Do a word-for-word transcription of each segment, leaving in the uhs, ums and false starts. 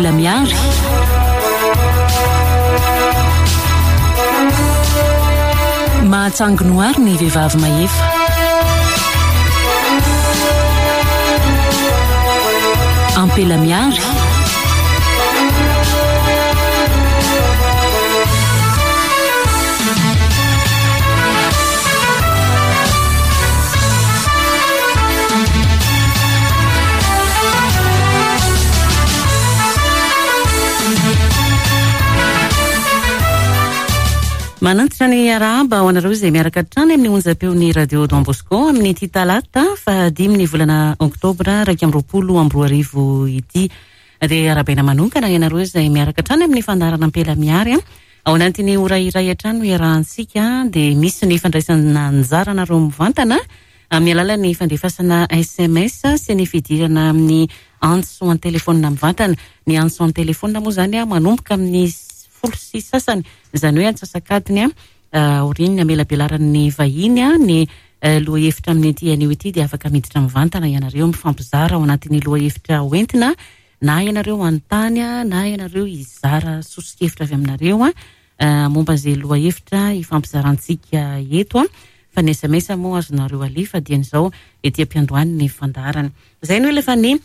Ampela Miary. Mahatsanginoary ny vehivavy mahefa. Ampela Miary. Manantitra ny arahaba ho anareo izay miaraka hatrany amin'ny onjam-peon'ny Radio Don Bosco amin'ity talata fahadimy ny volana oktobra iraika amby roapolo amby roa arivo ity. Dia arahabaina manokana ianareo izay miaraka hatrany amin'ny fandaharana Ampela Miary. Ao anatin'ny ora iray hatrany no iarahantsika, dia misy ny fandraisana anjara anareo mivantana amin'ny alalan'ny fandefasana S M S sy ny fidirana amin'ny antso an-telefaonina mivantana. Ny antso an-telefaonina moa izany manomboka amin'ny folo sy sasany, izany hoe antsasakadiny aorian'ny amelabelaran'ny vahiny ny lohahevitra amin'ity anio ity, dia afaka miditra mivantana ianareo mifampizara ao anatin'ny lohahevitra hoentina, na ianareo anontany na ianareo hizara soso-kevitra avy aminareo momba izay lohahevitra hifampizarantsika eto. Fa ny S M S moa azonareo alefa dian'izao ety am-piandohany ny fandaharana. Izay no efa ny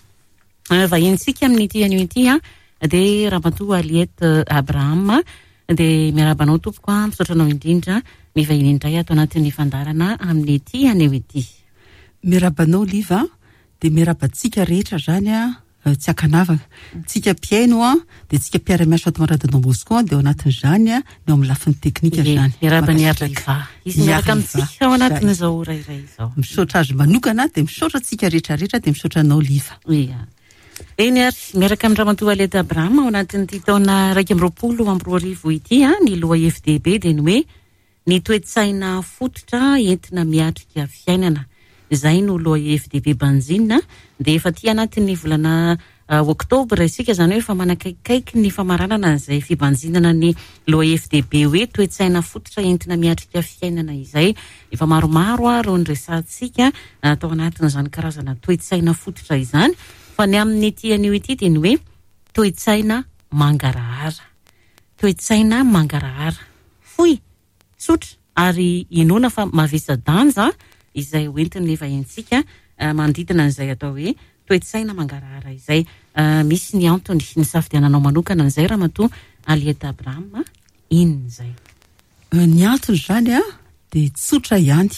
vahinintsika amin'ity anio ity, dia Ramatoa Aliette Abraham. Dia miarahaba anao tompoko, misaotra anao indrindra mivahiny indray ato anatin'ny fandaharana amin'ity anio ity. Miarahaba anao Liva, dia miarahaba antsika rehetra izany tsy ankanavaka. Tsika mpihaino dia tsika mpiara-miasa ato amin'ny Radio Don Bosco, dia ao anatin'izany ny ao amin'ny lafiny teknika izany. Miarahaba ny Ariva. Izy miaraka amintsika ao anatin'izao ora iray izao. Misaotra azy manokana, dia misaotra antsika rehetra rehetra, dia misaotra anao Liva. Ia. Eny ary, miaraka amin'ny Ramatoa Aliette Abraham ao anatin'ity taona iraika amby roapolo amby roa arivo ity, ny lohahevy-dehibe dia ny hoe ny toe-tsaina fototra entina miatrika fiainana. Izay no lohahevy-dehibe banjina, dia efa aty anatin'ny volana oktobra isika, izany hoe efa manakaikaiky ny famaranana an'izay fibanjinana ny lohahevy-dehibe hoe toe-tsaina fototra entina miatrika fiainana izay. Efa maromaro ary ny resahantsika tao anatin'izany karazana toe-tsaina fototra izany. Fa ny amin'ity anio ity dia ny hoe toe-tsaina mangarahara. Toe-tsaina mangarahara. Fohy, tsotra ary inoana fa mavesa-danja izay hoentin'ny vahintsika manodidina an'izay atao hoe toe-tsaina mangarahara izay. Misy ny antony ny safidiananao manokana an'izay Ramatoa Aliette Abraham, inona izay? Ny antony izany dia tsotra ihany.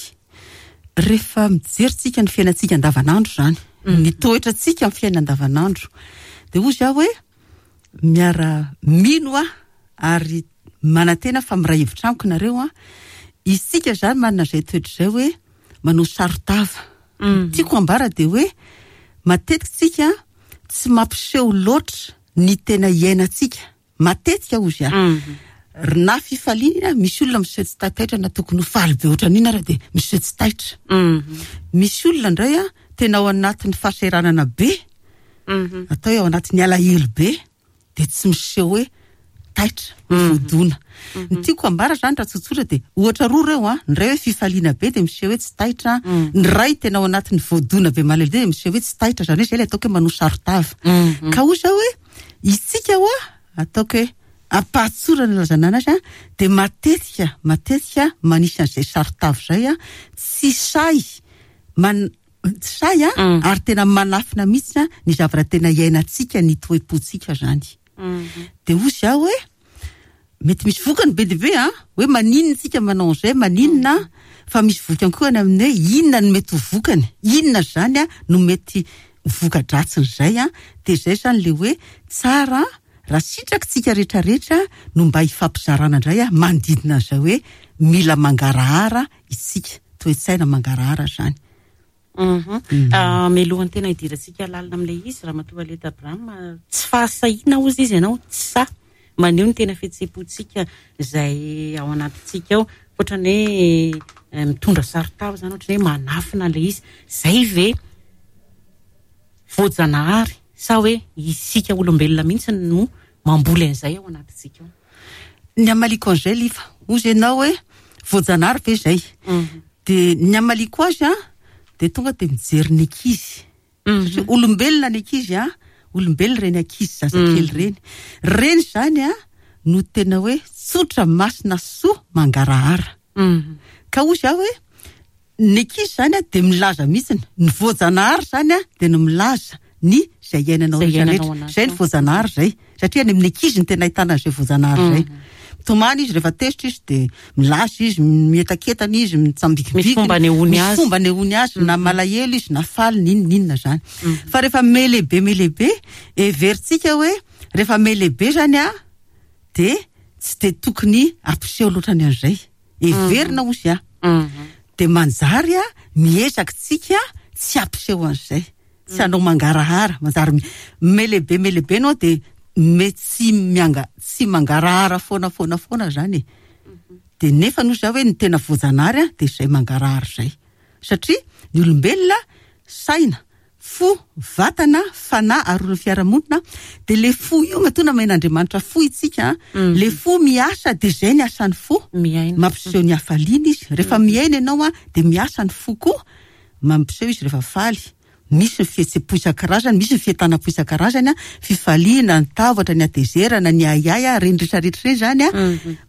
Rehefa mijery tsika ny fiainantsika andavanandro izany, ny toetrantsika amin'ny fiainana andavanandro, dia hoy aho hoe miara mino aho ary manantena fa miray hevitra amiko nareo a, isika izany manana izay toetra izay hoe manao saron-tava. Tiako ambara dia hoe matetika tsika tsy mampiseho loatra ny tena iainantsika. Matetika hozy aho. Na fifaliana, misy olona miseho tsy taitaitra na tokony ho faly be ohatran'iny ary dia miseho tsy taitra. Misy olona indray a tena ao anatin'ny fahasahiranana be, atao hoe ao anatin'ny alahelo be, dia tsy miseho hoe taitra, voadona. Ny tiako ambara izany raha tsotsotra dia ohatra roa ireo a, ny iray hoe fifaliana be dia miseho hoe tsy taitra, ny iray tena ao anatin'ny voadona be malahelo be dia miseho hoe tsy taitra, izany hoe izay ilay ataoko hoe manao saron-tava. Ka hoy aho hoe isika hoa ataoko hoe ampahatsorana ilazana anazy a, dia matetika matetika manisy an'izay saron-tava izay a, tsy sahy man tsy sahy a, ary tena manafina mihitsy a ny zavatra tena iainantsika, ny toe-pontsika izany. Dia hoy aho hoe mety misy vokany be dia be a, hoe maninona isika manao an'izay, maninona, fa misy vokany koa any amin'ny hoe inona no mety ho vokany, inona izany a no mety voka-dratsin'izay a. Dia izay izany ilay hoe tsara raha sitrakitsika rehetrarehetra no mba hifampizarana indray a manodidina an'izay hoe mila mangarahara isika, toe-tsaina mangarahara izany. Mialohan'ny tena hidirantsika lalina amin'ilay izy, Ramatoa Aliette Abraham, tsy fahasahiana hozy izy ianao, tsy sahy maneho ny tena fihetseham-pontsika izay ao anatintsika ao, ohatran'ny hoe mitondra saron-tava izany, ohatran'ny hoe manafina ilay izy. Izay ve voajanahary sa hoe isika olombelona mihitsy no mamboly an'izay ao anatintsika ao? Ny amaliko an'izay Liva, hozy ianao hoe voajanahary ve izay? Dia ny amaliko azy a, dia tonga dia mijery ny ankizy. Satria olombelona ny ankizy a, olombelona reny ankizy zazakely reny. Reny zany a no tena hoe tsotra, masina, soa, mangarahara. Ka ozy aho hoe ny ankizy zany a de milaza mihitsiny ny voajanahary zany a de no milaza ny zay iainanao Zay rehetra iainanao rehetra. anaty Zay ny ao. voajanahary zay, satria any amin'ny ankizy ny tena ahitana an'izay voajanahary zay. Mitomany izy rehefa tezitra izy de milaza izy, mietaketana izy, mitsambikibikina. Misy fomba anehoany Misy azy. fomba anehoany azy, na malahelo izy na faly, n'inona n'inona zany. Fa rehefa melehibe melehibe, heverintsika hoe rehefa melehibe zany a de tsy de tokony ampiseho loatra ny an'izay. Heverina ozy a. De manjary a miezaka tsika tsy ampiseho an'izay. Tsy hanao mangarahara, manjary mi- melehibe melehibe anao de me tsy mianga, tsy mangarahara foana foana foana zany e. De nefa noho za hoe ny tena voajanahary a de zay mangarahara zay. Satria ny olombelona saina, fo, vatana, fanahy ary olon'ny fiarahamonina, de le fo io matoa namen'Andriamanitra fo itsika, le fo miasa de zay ny asan'ny fo. Miaina. Mampiseho ny hafaliana izy. Rehefa miaina ianao a de miasa ny fo koa, mampiseho izy rehefa faly. Misy ny fihetseham-po isan-karazany, misy ny fientanam-po isan-karazany a, fifaliana, ny tahotra, ny hatezerana, ny ahiahy a, reny rehetrarehetra reny zany a.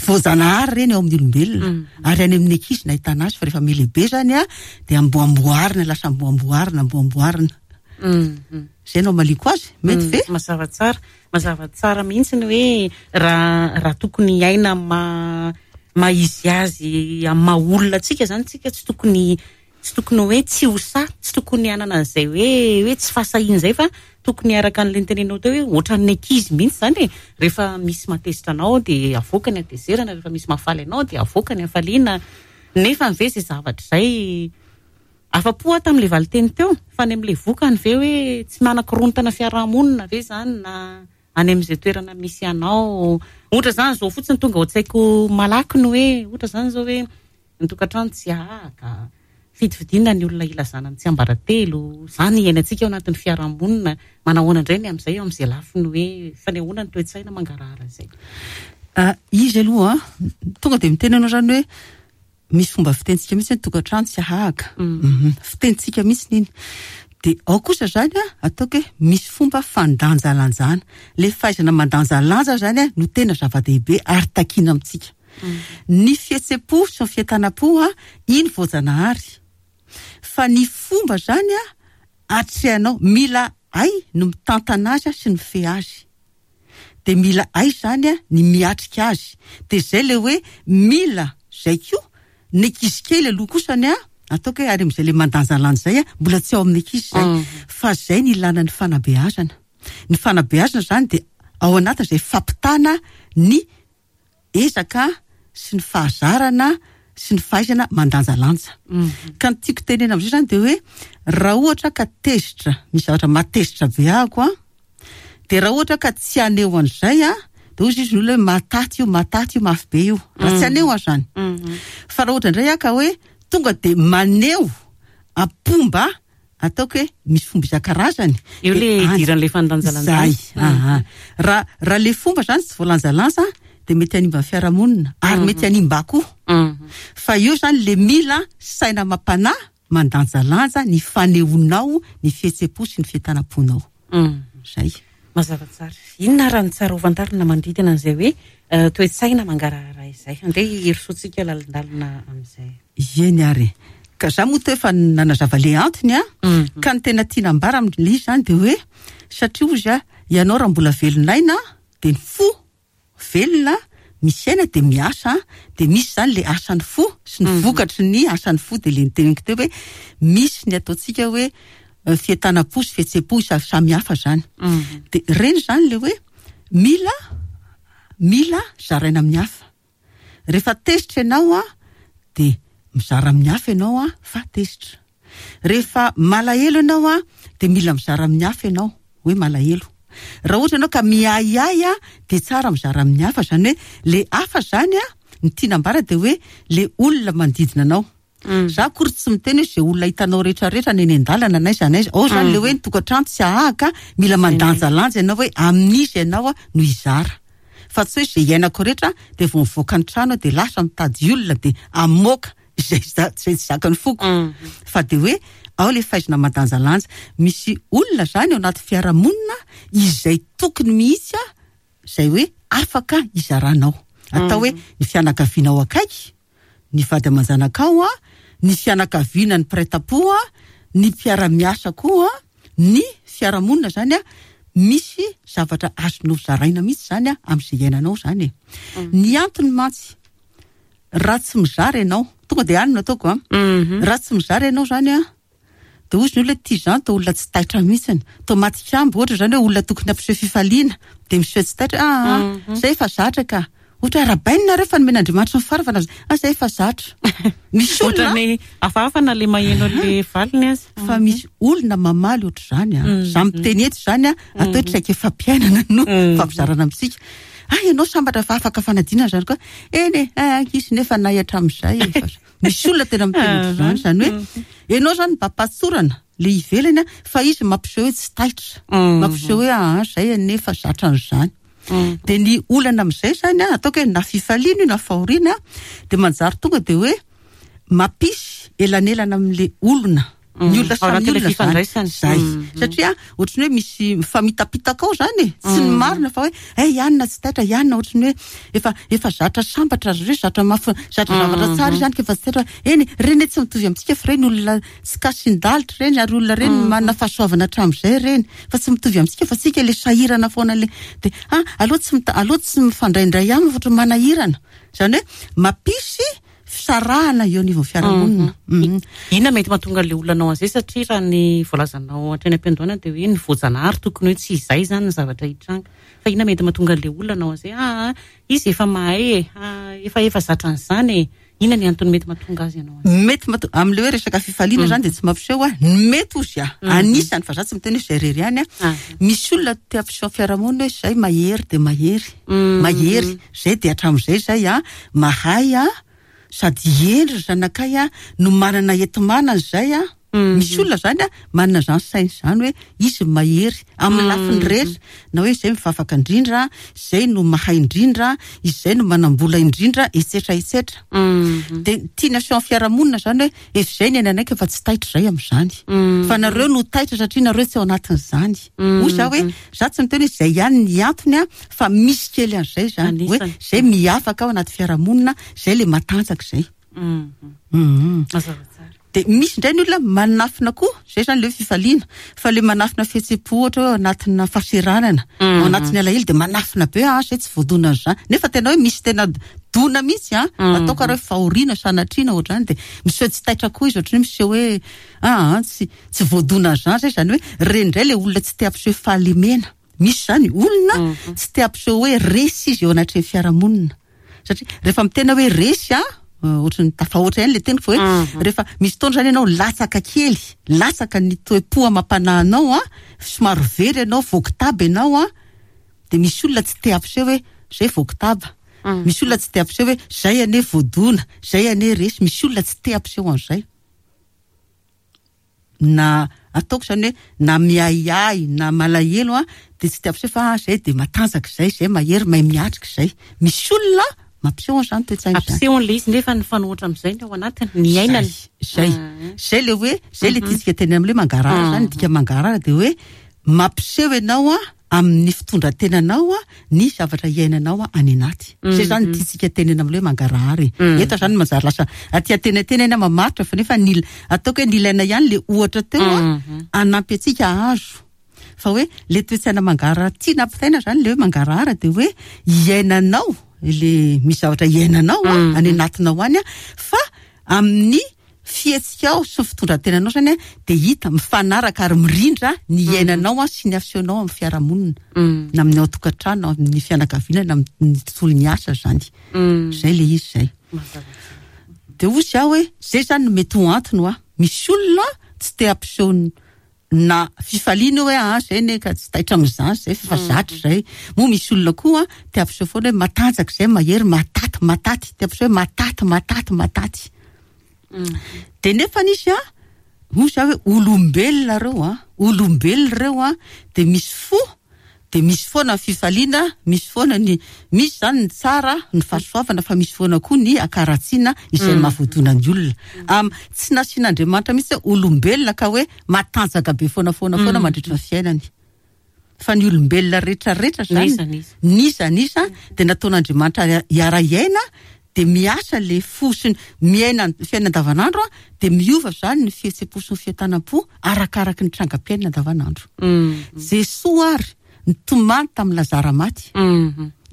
Voajanahary reny eo amin'ny olombelona. Ary any amin'ny ankizy no ahitana azy, fa rehefa melehibe zany a de amboamboarina, lasa amboamboarina, amboamboarina. Zay no amaliko azy, mety ve? Mazava tsara, mazava tsara mihitsy ny hoe raha, raha tokony hiaina ma-, maha izy azy amin'ny maha olona antsika zany, tsika tsy tokony, tsy tokony hoe tsy ho sahy, tsy tokony hanana an'izay hoe, hoe tsy fahasahiana izay, fa tokony araka an'ilay nitenenao teo hoe ohatran'ny ankizy mihitsy zany e. Rehefa misy mahatezitra anao de avoaka ny hatezerana, rehefa misy mahafaly anao de avoaka ny hafaliana. Nefa ve izay zavatra izay afa-po aho tamin'ilay valinteny teo, fa any amin'ilay vokany ve hoe tsy manakorontana fiarahamonina ve zany na any amin'izay toerana misy anao? Ohatra zany zao fotsiny tonga ao an-tsaiko malaky ny hoe ohatra zany zao hoe ny tokantrano tsy ahaka, fidifidiana ny olona ilazana ny tsiambaratelo, zany iainantsika ao anatin'ny fiarahamonina. Manahoana indray ny amin'izay eo amin'izay lafiny hoe fanehoana ny toe-tsaina mangarahara izay? Ah, izy aloha, tonga de miteny anao zany hoe misy fomba fitentsika mihitsy ny tokantrano tsy ahaka. Mhm. Fitentsika mihitsy iny. De ao kosa zany a, ataoko hoe misy fomba fandanjalanjana. Le fahaizana mandanjalanja zany a no tena zava-dehibe ary takiana amintsika. Ny fihetseham-po sy ny fientanam-po a, iny voajanahary. Fa ny fomba zany a, atrehanao, mila hay no mitantana azy sy ny mifehy azy. De mila hay zany a ny miatrika azy. De zay le hoe mila zay koa ny ankizy kely aloha kosany a, ataoko hoe ary amin'izay le mandanjalanja zay a, mbola tsy ao amin'ny ankizy zay. Mm. Fa zay ny ilana ny fanabeazana. Ny fanabeazana zany de ao anatin'izay fampitana ny ezaka sy ny fahazarana sy ny fahaizana mandanjalanja. Ka ny tiako tenena amin'izay zany de hoe raha ohatra ka tezitra, misy zavatra mahatezitra be ahako a, de raha ohatra ka tsy haneho an'izay a, de hoy izy ny olona hoe mahataty io, mahataty io, mafy be io. Raha tsy haneho aho zany. Fa raha ohatra indray aho ka hoe tonga de maneho am-pomba, ataoko hoe misy fomba isan-karazany. Eo le De any. idiran'ilay fandanjalanjana. Zay, aha. Raha, raha le fomba zany tsy voalanjalanja de mety hanimba ny fiarahamonina ary mety hanimba koa. Fa io zany le mila saina mampanahy mandanjalanja ny fanehoanao ny fihetseham-po sy ny fientanam-ponao. Zay. Mazava tsara. Inona raha ny tsara ho fantarina manodidina an'izay hoe, eh, toe-tsaina mangarahara izay? Andeha hirosoantsika lalindalina amin'izay. Eny ary. Ka za moa teo efa nanazava le antony a, Mhm. ka ny tena tiana ambara amin'ilay izy zany de hoe satria ozy a, ianao raha mbola velon'aina de ny fo velona misy aina de miasa, de misy zany le asan'ny fo sy ny Mhm. vokatry ny asan'ny fo, de le niteneniko teo hoe misy ny ataontsika hoe, eh, fientanam-po sy fihetseham-po isa-, samy hafa zany. Mhm. De reny zany le hoe mila, mila zaraina amin'ny hafa. Rehefa tezitra ianao a, de mizara amin'ny hafa ianao a, fa tezitra. Rehefa malahelo ianao a, de mila mizara amin'ny hafa ianao hoe malahelo. Raha ohatra ianao ka miahiahy a, de tsara mizara amin'ny hafa, zany hoe le hafa zany a, ny tiana ambara de hoe le olona manodidina anao. Mm. Za akory tsy miteny hoe zay olona hitanao rehetrarehetra na eny an-dalana na aiza na aiza. Ao zany le hoe ny tokantrano tsy ahaka, mila mandanjalanja ianao hoe amin'izy ianao a no hizara. Fa tsy hoe zay iainako rehetra de vao mivoaka ny trano de lasa mitady olona de amoaka izay izay tsy zakan'ny foko. Fa dia hoe ao le fahaizana mandanjalanja. Misy olona zany ao anaty fiarahamonina izay tokony mihitsy a, izay hoe afaka izaranao. Atao hoe ny fianakavianao akaiky, ny vady aman-janakao a, ny fianakaviana ny mpiray tampo a, ny mpiara-miasa koa, ny fiarahamonina zany a, misy zavatra azonao zaraina mihitsy zany a amin'izay iainanao zany e. Ny antony mantsy, raha tsy mizara ianao, tonga dia any no ataoko a. Raha tsy mizara ianao zany a, dia hozy ny olona tia izany, toa olona tsy taitra mihitsiny. Toa matikambo ohatra zany hoe olona tokony hampiseho fifaliana, dia miseho tsy taitra, ah, ah, zay efa zatra ka. Ohatra arahabaina nareo fa nomen'Andriamanitra ny faharavana, ah, zay efa zatra. Misy olona Ohatran'ny hafahafa na le maheno le valiny azy. Fa misy olona mamaly ohatr'izany a. Za miteny eto zany a, atao hoe traikefa fampiainana no fampizarana amintsika. Ah, ianao sambatra fa afaka fanadinana zany koa. Eny e, ah, ankizy nefa nay hatramin'izay e. Misy olona tena miteny ohatr'izany, zany hoe ianao zany mba ampatsorana le ivelany a, fa izy mampiseho hoe tsy taitra. Mampiseho hoe ah, zay anefa zatra an'izany. Dia ny olana amin'izay zany a, ataoko hoe na fifaliana io na fahoriana, dia manjary tonga dia hoe mampisy elanelana amin'le olona. Ny olona Ao samy anatin'ilay olona zany. fifandraisana. Zay. Satria ohatran'ny hoe misy mifamitapitaka ao zany e. Tsy ny marina fa hoe, eh, ianona tsy taitra, ianona ohatran'ny hoe efa, efa zatra sambatra ry zareo, zatra mafy, zatra zavatra tsara izany ka efa tsy taitra. Eny, ireny tsy mitovy amintsika fa ireny olona tsy kasin-dalitra ireny, ary olona ireny manana fahasoavana hatramin'izay ireny. Fa tsy mitovy amintsika fa tsika le sahirana foana le. Dia, ah, aleo tsy mita-, aleo tsy mifandraindray aminy fa ohatran'ny manahirana. Izany hoe mampisy fisarahana eo anivon'ny fiarahamonina. Mhm. Inona mety mahatonga an'ilay olona anao an'izay? Satria raha ny voalazanao hatrany am-piandohana dia hoe ny voajanahary tokony hoe tsy izay zany ny zavatra hitranga. Fa inona mety mahatonga an'ilay olona anao an'izay? Ah, izy efa mahay e. Ah, efa, efa zatra an'izany e. Inona ny antony mety mahatonga azy anao an'izay? Mety mahatonga, amin'ilay hoe resaka fifaliana zany dia tsy mampiseho a. Ny mety ozy a. Anisany, fa za tsy miteny hoe izay irery ihany a. Ah. Misy olona te hampiseho amin'ny fiarahamonina hoe izay mahery dia mahery. Mahery. Izay dia hatramin'izay izay a, mahay a, sady hendry ry zanakay a, no manana enti-manana izay a. Misy olona zany a, manana izany saina izany hoe izy mahery amin'ny lafiny rehetra, na hoe izay mivavaka indrindra, izay no mahay indrindra, izay no manam-bola indrindra, et cetera, et cetera. Dia tiana aseho amin'ny fiarahamonina zany hoe efa izay ny ainanay ka efa tsy taitra izay amin'izany. Fa nareo no taitra satria nareo tsy ao anatin'izany. Hoy za hoe, za tsy miteny hoe izay ihany ny antony a, fa misy kely an'izay zany. Hoe Anisany. izay miavaka ao anaty fiarahamonina, izay le matanjaka izay. Mhm. Mazava tsara. Dia misy indray ny olona manafina koa, izay zany le fifaliana, fa le manafina fihetseham-po ohatra hoe ao anatina fahaseranana, ao anatin'ny alahelo dia manafina be, ah, izay tsy voadona an'izany. Nefa tena hoe misy tena dona mihitsy, ah, atao karaha hoe fahoriana, sanatriana ohatr'izany, dia miseho tsy taitra koa izy, ohatran'ny hoe miseho hoe, ah, ah, tsy, tsy voadona an'izany izay, izany hoe ireny indray le olona tsy te hampiseho fahalemena. Misy zany olona tsy te hampiseho hoe resy izy eo anatrehan'ny fiarahamonina. Satria rehefa mitena hoe resy, ah, ohatran'ny tafahoatra ihany le teniko fa hoe rehefa misy fotoana zany ianao latsaka kely, latsaka ny toe-po amam-panahinao, ah, somary very ianao, voakitaba ianao, ah, dia misy olona tsy te hampiseho hoe zay voakitaba. Misy olona tsy te hampiseho hoe zay anie voadona, zay anie resy. Misy olona tsy te hampiseho an'izay. Na ataoko zany hoe na miahiahy na malahelo, ah, dia tsy te hampiseho fa, ah, zay dia matanjaka izay, zay mahery, mahay miatrika izay. Misy olona mampiseho an'izany toe-tsaina izany. Ampiseho an'ilay izy nefa ny fanohitra amin'izay ny ao anatiny, ny ainany. Zay, zay le hoe, zay le tiantsika teny amin'ilay mangarahara zany, dika mangarahara dia hoe mampiseho ianao, ah, amin'ny fitondran-tenanao, ah, ny zavatra iainanao, ah, any anaty. Zay zany tiantsika tenena amin'ilay hoe mangarahara e. Eto zany manjary lasa aty an-tenatena eny mamaritra, fa nefa ny, ataoko hoe ny ilaina ihany le ohatra teo, ah, hanampy antsika hahazo. Fa hoe le toe-tsaina mangarahara tiana ampitaina zany, le hoe mangarahara dia hoe iainanao, le misy zavatra iainanao, ah, any anatinao any, ah, fa amin'ny fihetsikao sy ny fitondran-tenanao zany, ah, dia hita mifanaraka ary mirindra ny iainanao, ah, sy ny asehonao amin'ny fiarahamonina, na amin'ny ao an-tokantrano, na amin'ny fianakaviana, na amin'ny tontolon'ny asa zany. Zay le izy zay. Dia hoy izy aho hoe zay zany no mety ho antony hoa. Misy olona tsy te hampiseho ny na fifaliana hoe, ah, zay ne ka tsy taitra amin'izany zay, fa zatra zay. Moa misy olona koa te hampiseho foana hoe matanjaka zay, mahery, mataty, mataty, te hampiseho hoe mataty, mataty, mataty. Dia nefa nisy, ah, hoy izy aho hoe olombelona ireo, ah, olombelona ireo, ah, dia misy fo De misy foana ny fifaliana, misy foana ny, misy zany ny tsara, ny fahasoavana, fa misy foana koa ny akaratsiana izay mahavoadona ny olona. Am, tsy nasian'Andriamanitra mihitsy hoe olombelona ka hoe matanjaka be foana foana foana mandritra ny fiainany. Fa ny olombelona rehetrarehetra zany, N'iza n'iza. n'iza n'iza, de nataon'Andriamanitra hiara-hiaina, de miasa le fo sy ny miaina ny fiainana andavanandro, de miova zany ny fihetseham-po sy ny fientanam-po arakaraky ny trangam-piainana andavanandro. Jesoa ary nitomany tamin'ny Lazara maty.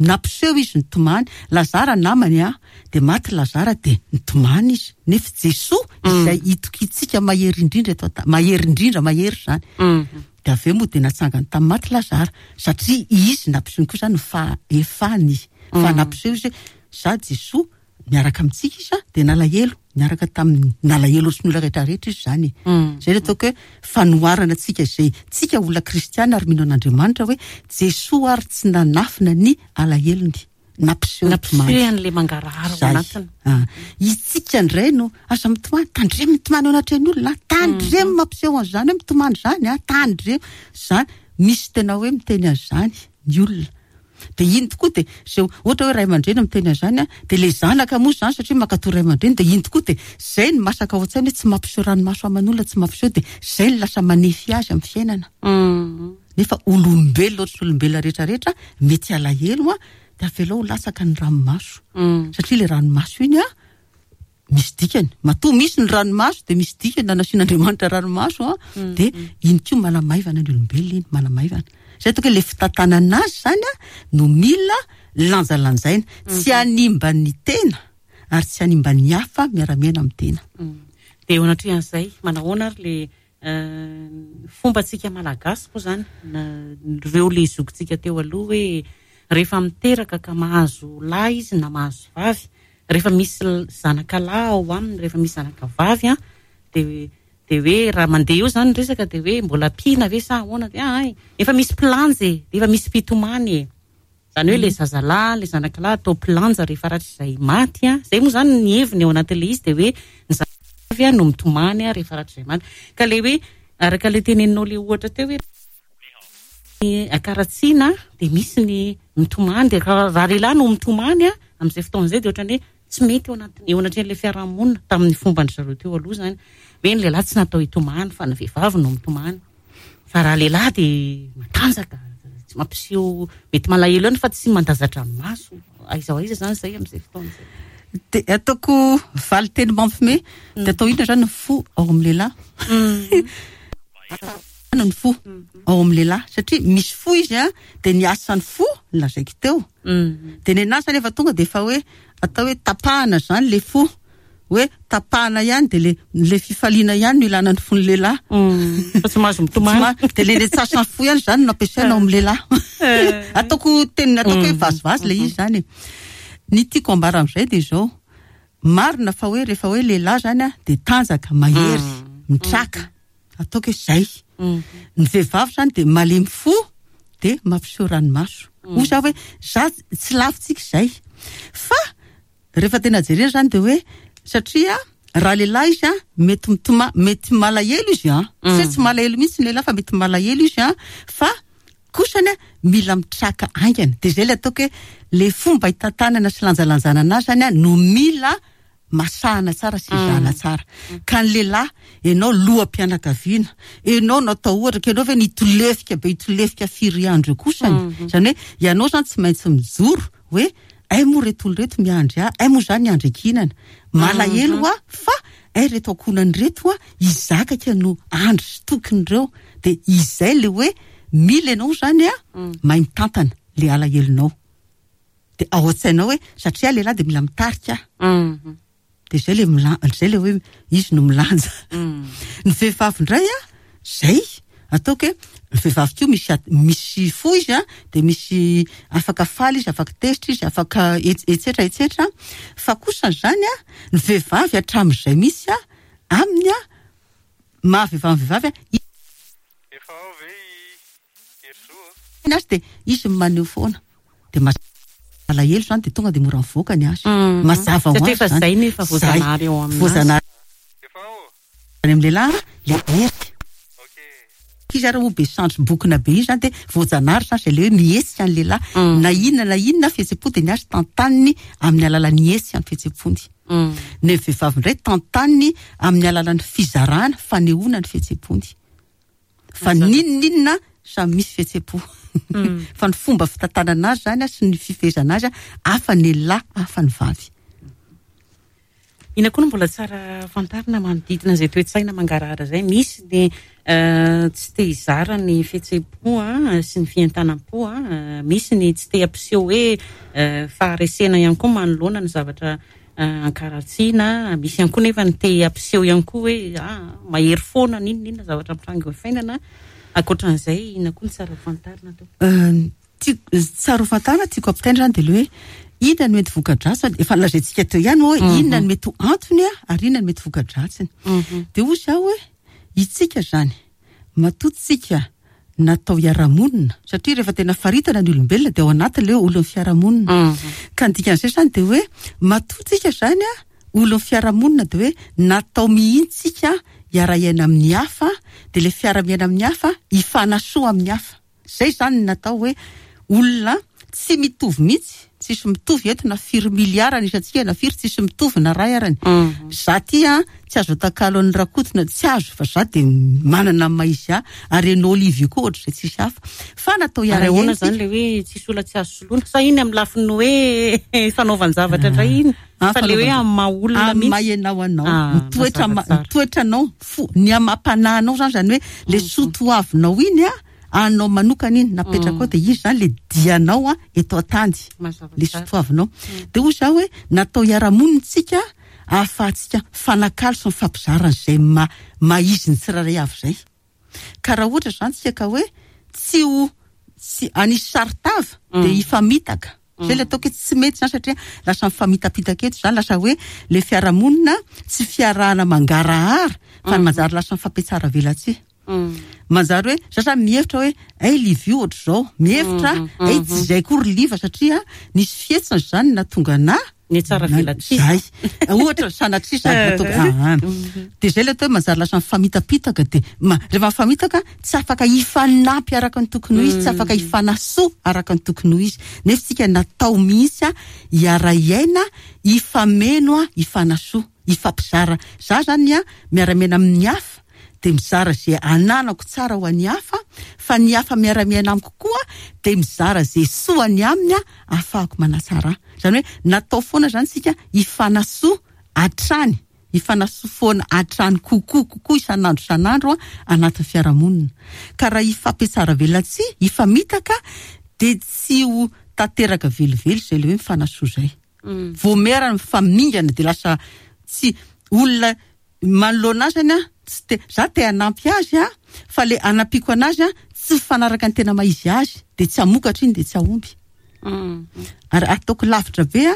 Nampiseho izy nitomany. Lazara namany a, de maty Lazara de nitomany izy. Nefa Jesoa izay itokintsika mahery indrindra eto an-tany, mahery indrindra, mahery zany. De avy eo moa de natsangany tamin'ny maty Lazara, satria izy nampiseho koa zany ny fahefany. Fa nampiseho izy hoe za Jesoa miaraka amintsika izy a, de nalahelo, miaraka tamin'ny nalahelo ohatry ny olona rehetrarehetra izy zany. Zay le ataoko hoe fanoharana antsika izay tsika olona kristiana ary mino an'Andriamanitra hoe Jesoa ary tsy nanafina ny alahelony, nampiseho Nampiseho nitomany. an'ilay mangarahara ao Zay. anatiny. Ah. Itsika indray no aza mitomany, tandremo mitomany eo anatrehan'ny olona, tandremo mampiseho an'izany hoe mitomany zany, ah, tandremo zany. Misy tena hoe miteny an'izany ny olona. De iny tokoa de zay ohatra hoe ray aman-dreny miteny an'izany, de le zanaka moa zany satria mankatoa ray aman-dreny, de iny tokoa de zay ny masaka ao an-tsaina hoe tsy mampiseho ranomaso aman'olona, tsy mampiseho, de zay ny lasa manefy azy amin'ny fiainana. Nefa olombelona ohatry ny olombelona rehetrarehetra mety alahelo, a, de avelao ho latsaka ny ranomaso. Satria le ranomaso iny, a, misy dikany. Matoa misy ny ranomaso de misy dikany na nasian'Andriamanitra ranomaso, a, de iny koa manamaivana ny olombelona iny, manamaivana. Zay ataoko hoe le fitantanana azy zany, a, no mila lanjalanjaina, tsy hanimba ny tena ary tsy hanimba ny hafa miara-miaina amin'ny tena. De eo anatrehan'izay, manahoana ary le, euh, fombantsika malagasy moa zany, na ireo le zokintsika teo aloha hoe rehefa miteraka ka mahazo lahy izy na mahazo vavy, rehefa misy l-, zanaka lahy ao aminy, rehefa misy zanaka vavy, a, de, de hoe raha mandeha eo zany ny resaka de hoe mbola ampiana ve sa ahoana, de ay, efa misy mpilanja e, de efa misy mpitomany e. Zany hoe le zazalahy, le zanaka lahy atao mpilanja rehefa rahatrizay maty, a. Zay moa zany ny heviny ao anatin'ilay izy, de hoe ny zanaka vavy, a, no mitomany, a, rehefa rahatrizay maty. Ka le hoe araka le teneninao le ohatra teo hoe ny akaratsiana de misy ny mitomany, de raha, raha lehilahy no mitomany, a, amin'izay fotoana izay de ohatran'ny hoe tsy mety eo anatin'ny, eo anatrehan'ilay fiarahamonina tamin'ny fomban-dry zareo teo aloha zany. Hoe ny lehilahy tsy natao hitomany fa ny vehivavy no mitomany. Fa raha lehilahy de matanjaka, tsy mampiseho, mety malahelo ihany fa tsy mandaza-dranomaso. Aiza ho aiza zany zay amin'izay fotoana izay. De ataoko valin-teny mampime, de atao inona zany ny fo ao amin'ny lehilahy? Ny fo ao amin'ny lehilahy, satria misy fo izy, a, de ny asan'ny fo lazaiko teo. De ny anazy zany efa tonga de efa hoe atao hoe tapahana zany le fo, hoe tapahana ihany de le, le fifaliana ihany no ilana ny fon'ny lehilahy. Mm. Fa tsy mahazo mitomany. Tsy ma-, de le retsasan'ny fo ihany zany no ampiasaina ao amin'ny lehilahy. Eh. Ataoko teny, ataoko hoe Mm. vazivazy le izy zany e. Ny tiako ambara amin'izay de izao, marina fa hoe rehefa hoe lehilahy zany, a, de tanjaka, mahery, Mm. mitraka. Ataoko hoe zay. Mm. Ny vehivavy zany de malemy fo, de mampiseho ranomaso. Mm. Hoy za hoe za tsy lavitsika izay. Fa rehefa tena jerena zany de hoe satria raha lehilahy izy, a, mety mitoma-, mety malahelo izy, a. Tsy hoe tsy malahelo mihitsy ny lehilahy fa mety malahelo izy, a, fa kosany, a, mila mitraka haingana. De zay le ataoko hoe le fomba hitantanana sy lanjalanjana anazy zany, a, no mila masahana tsara sy ezahana tsara. Ka ny lehilahy, ianao loham-pianakaviana, ianao no atao ohatra, ka ianao ve nitolefika be, hitolefika firy andro eo kosany. Mm. Zany hoe ianao zany tsy maintsy mijoro hoe ay moa reto olona reto miandry ahy, ay moa zany miandry ankinana. Malahelo Mhm. aho fa ay reto ankohonany reto, a, izakaka no andry sy tokin'ireo. De izay le hoe mila ianao zany, a, Mm. mahay mitantana le alahelonao. De ao an-tsainao hoe satria lehilahy de mila mitarika. Mhm. De zay le mila-, zay le hoe izy no milanja. Mm. Ny vehivavy indray, a, zay ataoko hoe ny vehivavy koa misy at-, misy fo izy, a, de misy afaka faly izy, afaka tezitra izy, afaka et-, et cetera, et cetera. Fa kosa zany, a, ny vehivavy hatramin'izay misy, a, aminy, a, mahavehivavy ny vehivavy, a, i- Efa ao ve i Herizo? Ny azy de izy maneho foana. De ma-, malahelo zany de tonga de mora mivoaka ny azy. Mm. Mazava ho Satria azy efa zany. zay no efa voazanahary eo aminazy. Voazanahary. Efa ao? Any amin'ny lehilahy, le hery. Ok. Izy ary moa be sandry bokona be iny zany de voajanahary zany zay le hoe mihetsika ny lehilahy, na inona na inona fihetsem-po de ny azy tantaniny amin'ny alalan'ny hetsika ny fihetsem-pony. Ny vehivavy indray tantaniny amin'ny alalan'ny fizarana, fanehoana ny fihetsem-pony. Fa n'inon'inona samy misy fihetsem-po, fa ny fomba fitantanana azy zany sy ny fifehezana azy hafa ny lehilahy, hafa ny vavy. Ina koa no mbola tsara fantarina manodidina izay toe-tsaina mangarahara izay? Misy ny tsy te hizara ny fihetsem-po sy ny fientanam-po, misy ny tsy te hampiseho hoe faharesena ihany koa manoloana ny zavatra ankaratsiana, misy ihany koa nefa ny te hampiseho ihany koa hoe mahery foana n'inona n'inona zavatra mitranga eo fiainana. Ankoatran'izay, ina koa no tsara fantarina atao? Tsara fantarina tiako ampitaina zany dia le hoe inona no mety voka-dratsiny, efa nolazaintsika teo ihany hoe inona no mety ho antony ary inona no mety voka-dratsiny. Dia hoy izaho hoe itsika zany matoa natao hiara-monina, satria rehefa tena faritana ny olombelona dia ao anaty le hoe olon'ny fiarahamonina. Ka ny dikan'izay zany dia hoe matoa zany a olon'ny fiarahamonina dia hoe natao mihitsy tsika hiara-hiaina amin'ny hafa, dia le fiara-miaina amin'ny hafa hifanasoa amin'ny hafa. Zay zany natao hoe olona tsy mitovy mihitsy, tsisy mitovy eto na firy miliara ny isantsika na firy, tsisy mitovy na ray arany. Za ty a tsy azo atakalo an'ny Rakotina, tsy azo, fa za dia manana ny maha izy ahy, ary ianao Olivia koa ohatr'izay tsisy hafa. Fa natao hiara-hiaina Ahoana zany le hoe tsisy olona tsy azo soloina? Sa iny amin'ny lafiny hoe fanaovan-javatra indray iny? Fa le hoe amin'ny maha olona Amin'ny mihitsy. maha ianao anao, ny toetra ma-, ny toetranao, fo, ny amam-panahinao zany, zany hoe le soatoavinao iny a, anao manokana iny napetraka ao, dia izy zany le dianao a eto an-tany, le soatoavinao. Dia hoy izaho hoe natao hiara-monina tsika ahafahantsika mifanakalo sy mifampizara an'izay ma-, maha izy ny tsirairay avy izay. Ka raha ohatra zany tsika ka hoe tsy ho, tsy anisy saron-tava dia hifamitaka. Zay le ataoko hoe tsy mety zany, satria lasa mifamitapitaka eto zany, lasa hoe le fiarahamonina tsy fiarahana mangarahara fa manjary lasa mifampitsara velatsihy. Manjary hoe za zany mihevitra hoe ay Livio ohatr'izao, mihevitra ay tsy izay koa ry Liva, satria nisy fihetsiny zany nahatonga anahy Ny tsara Na- velatsihy. Zay. Ohatra sanatria zany nataoko, ah, ah. Dia zay le atao hoe manjary lasa mifamitapitaka, dia ma-, rehefa mifamitaka tsy afaka hifanampy araka ny tokony ho izy, tsy afaka hifanasoa araka ny tokony ho izy. Nefa tsika natao mihitsy a hiara-hiaina, hifameno a, hifanasoa, hifampizara. Za zany a miara-miaina amin'ny hafa, dia mizara izay ananako tsara ho an'ny hafa, fa ny hafa miara-miaina amiko koa dia mizara izay soa any aminy a ahafahako manatsara. Zany hoe natao foana zany tsika hifanasoa hatrany, hifanasoa foana hatrany kokoa kokoa isan'andro isan'andro a anatin'ny fiarahamonina. Ka raha hifampitsara velatsihy, hifamitaka, dia tsy ho tanteraka velively izay le hoe mifanasoa izay. Vao miara mifamingana dia lasa tsy olona manoloana azy zany a, tsy te, za te hanampy azy a, fa le hanampiako anazy a tsy mifanaraka ny tena maha izy azy, dia tsy hamokatra iny, dia tsy hahomby. Ary ataoko lavitra be a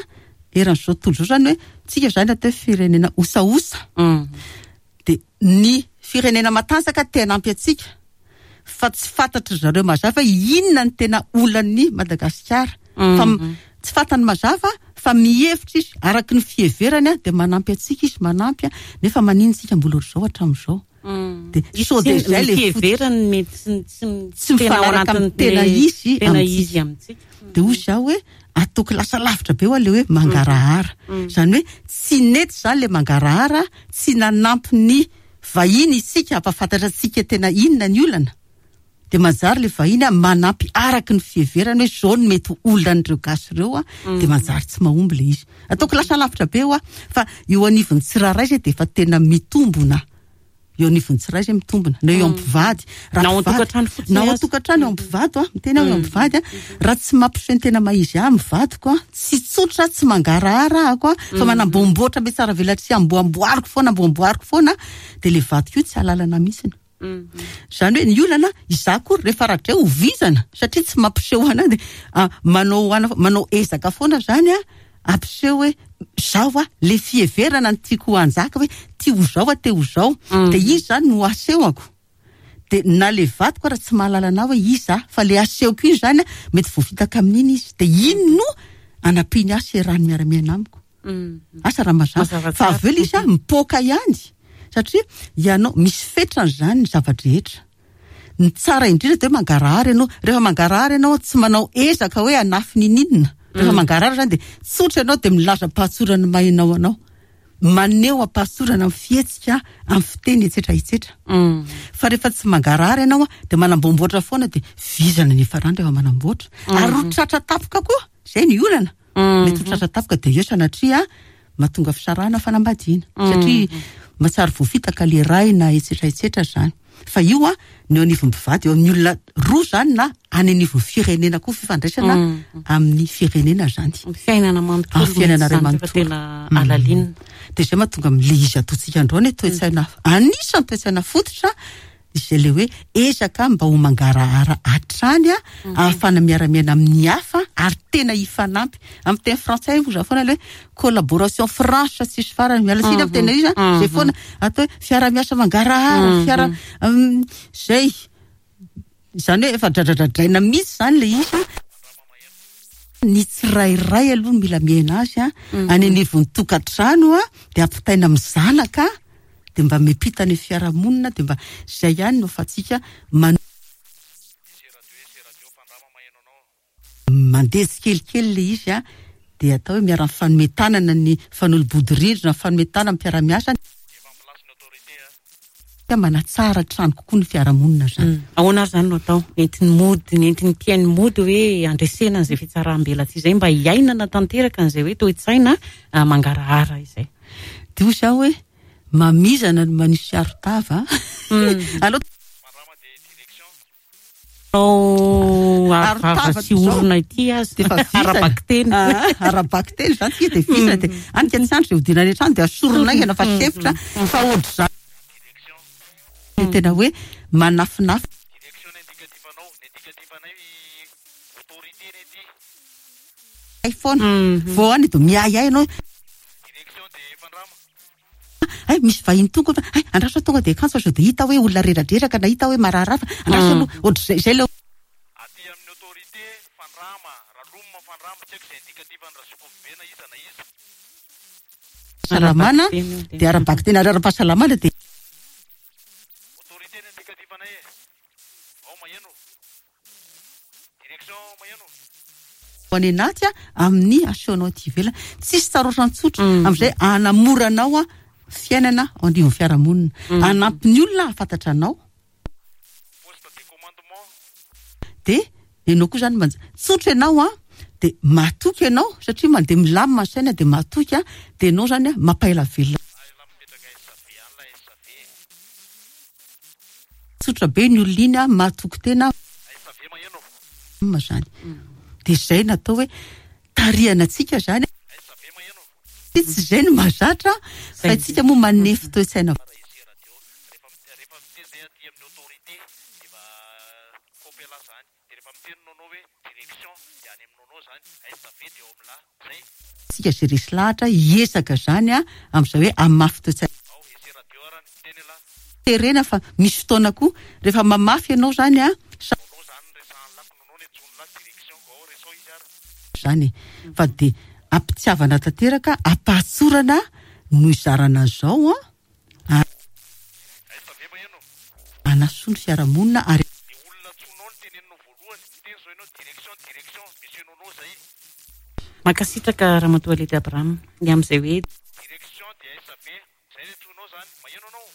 eran'izao tontolo izao zany hoe tsika zany atao hoe firenena osaosa. Dia ny firenena matanjaka te hanampy antsika, fa tsy fantatry zareo mazava hoe inona ny tena olan'ny Madagasikara. Fa m-, tsy fantany mazava, fa mihevitra izy araka ny fiheverany a, dia manampy antsika izy, manampy a, nefa maninona tsika mbola ohatr'izao hatramin'izao. Dia Izy sao dia tsy izay le ny fototra. fiheverany mety tsy, tsy, Tsy tena ao mifanaraka amin'ny anatin'ny tena izy tena amintsika. izy amintsika. Dia hoy izaho hoe ataoko lasa lavitra be ho le hoe mangarahara. Izany hoe tsy nety izany le mangarahara, tsy nanampy ny vahiny isika hampahafantatra antsika tena inona ny olana. Dia manjary le vahiny a manampy araka ny fiheverany hoe zao no mety ho olan'ireo gasy ireo a, dia manjary tsy mahomby le izy. Ataoko lasa lavitra be ho a, fa eo anivon'ny tsirairay izay dia efa tena mitombona. Eo anivon'ny tsirairay izay mitombona, na eo am-pivady. Raha Na ao mpivady- an-tokantrano fotsiny na ao aza. an-tokantrano, eo am-pivady a, miteny aho eo am-pivady a, raha tsy mampiseho ny tena maha izy ahy amin'ny vadiko a, tsy tsotra, tsy mangarahara ahako a, fa manamboamboatra be tsara velatsihy, amboamboariko foana, amboamboariko foana, dia le vadiko io tsy halalana mihitsy. Izany hoe ny olana, izaho koa rehefa rahatray ho vizana, satria tsy mampiseho anahy, dia, ah, manao ana-, manao ezaka foana zany a, ampiseho hoe zao a, le fiheverana ny tiako hanjaka hoe ty ho zao a, te ho zao. Dia izy zany no asehoko. Dia na le vadiko raha tsy mahalala anahy hoe iza, fa le asehoko iny zany a, mety voafitaka amin'iny izy. Dia iny no anampiany ahy sy iarahany miara-miaina amiko. Asa raha mazava. Mazava Fa tsara. avy eo le izy a, mipoaka ihany. Satria ianao misy fetrany zany ny zava-drehetra. Ny tsara indrindra de hoe mangarahara ianao. Rehefa mangarahara ianao, tsy manao ezaka hoe anafy nininona. Rehefa mangarahara zany de tsotra ianao, de milaza am-pahatsorana ny mahinao anao, maneho am-pahatsorana amin'ny fihetsika, amin'ny fiteny, etsetra etsetra. Fa rehefa tsy mangarahara ianao a, de manamboamboatra foana, de vizana ny farany rehefa manamboatra, ary ho tratra tapoka koa zay ny olana. Mety ho tratra tapoka, de eo sanatria mahatonga fisarahana fanambadiana, satria mahatsary voafitaka le ray na etsetra etsetra zany. Fa io a, ny eo anivon'ny mpivady, eo amin'ny olona roa zany, na any anivon'ny firenena koa, fifandraisana amin'ny firenena zany. Fiainana manontolo. Ah, fiainana ray mihitsy zany, manontolo. fa tena alalinina. De zay mahatonga am'le izy ataontsika androany hoe toe-tsaina, anisan'ny toe-tsaina fototra izay le hoe ezaka mba ho mangarahara hatrany a, ahafahana miara-miaina amin'ny hafa ary tena hifanampy. Amin'ny teny frantsay moa za foana le hoe collaboration franche tsisy farany, miala tsiny amin'ny tena izy a, zay foana atao hoe fiara-miasa mangarahara, fiara mm, zay zany hoe efa dradradradraina mihitsy zany le izy. Ny tsirairay aloha mila miaina azy a, any anivon'ny tokantrano a, de ampitaina amin'ny zanaka, de mba miampita ny fiarahamonina, de mba zay ihany no ahafahantsika man mandeha tsikelikely le izy a, de atao hoe miara-mifanome tanana, ny fanolo-bodirindrina, mifanome tanana, mpiara-miasa, manatsara trano kokoa ny fiarahamonina zany. Ahoana ary zany no atao entiny mody, ny entiny mpiaino mody hoe andresena an'izay fitsaram-belatsihy izay, mba hiainana tanteraka an'izay hoe toe-tsaina ah, mangarahara izay? De hoy zaho hoe mamizana no manisy aro-tava. Aloha Ao Aro-tava arovava sy zao. orona ity azy De efa vizana. Ara-bakiteny. Ah, ara-bakiteny zany tsika, de vizana, de anika ny sandry zay hodina any an-trano, de asorona aingana fa sempotra, fa ohatr'izany de tena hoe manafinafy. Direction ny indicatif anao, ny indicatif anay autorité ny aty. Ay foana vao any de miahiahy ianao. Direction de Fandrama. Ay, misy vahiny tonga fa ay, andraso tonga de akanjo fa sao de hita hoe olona reradreraka na hita hoe marary hafa, andraso aloha, ohatr'izay zay le Aty amin'ny autorité Fandrama, Raloma Fandrama, tsy haiko izay indicatif an'i Razokovibe na iza na iza. Fahasalamana. Ara-bakiteny io, De ara-bakiteny ary ara-pahasalamana de Autorité ny indicatif anay e. Ao maheno. Direction maheno. Any anaty a, amin'ny asehonao aty ivelany tsisy tsarotra tsotra amin'izay anamoranao a fiainana ao anivon'ny fiarahamonina, anampy ny olona ahafantatra anao. Poste de commandement. De ianao koa zany manja tsotra ianao a, de matoky ianao satria mandeha milamina ny saina, de matoky a, de ianao zany a mampaela velona. Ay la mipetraka S V any la S V. Tsotra be ny olona iny a, matoky tena S V maheno. ma zany, de zay natao hoe tarihana antsika zany. S V maheno. Tsy zay no mahazatra fa itsika moa manefy toe-tsaina. Raha ese radio rehefa rehefa miteny zay aty amin'ny autorité de mba kopy ala zany, de rehefa miteny nono hoe direction de any amin'ny nono zany S V de eo amin'ny la zay. Tsika zay resy lahatra hiezaka zany a amin'izay hoe amafy toe-tsaina. Ao ese radio arany miteny la. Terena fa misy fotoana koa rehefa mamafy ianao zany a sa Nono zany resahan'ny lako nono ny antsoiny la direction ao resao izy ara. Zany fa de ampitiavana tanteraka, ampahatsorana no izarana zao a S V maheno. anasoa ny fiarahamonina ary Ny olona antsoinao no teneninao voalohany, miteny zao ianao direction, direction monsieur nono zay. Mankasitraka Ramatoa Ledy Abraham ny amin'izay hoe Direction de S V zay ny antsoinao zany maheno anao.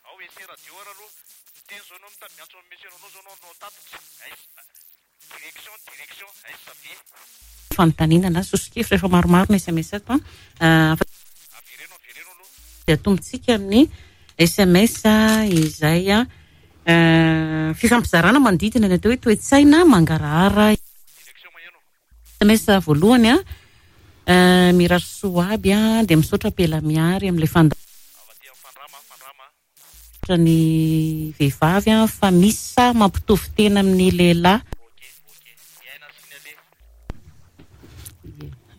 Ao ese radio ara aloha miteny zao ianao mita- miantso amin'ny monsieur nono zao anao no tatitra S direction, direction S V. Fanontaniana na soso-kevitra efa maromaro ny S M S ato a. Ah, Avereno, avereno aloha. Dia atombontsika amin'ny S M S izay a eh, fifampizarana manodidina ny atao hoe toe-tsaina mangarahara. Direction maheno. S M S voalohany a, eh, mirary soa aby a, dia misaotra Pela Miary amin'ilay fanda Avy aty amin'ny Fandrama, Fandrama. Ny vehivavy a fa misy sa mampitovy tena amin'ny lehilahy. Ok, ok, miaina sy ny ale.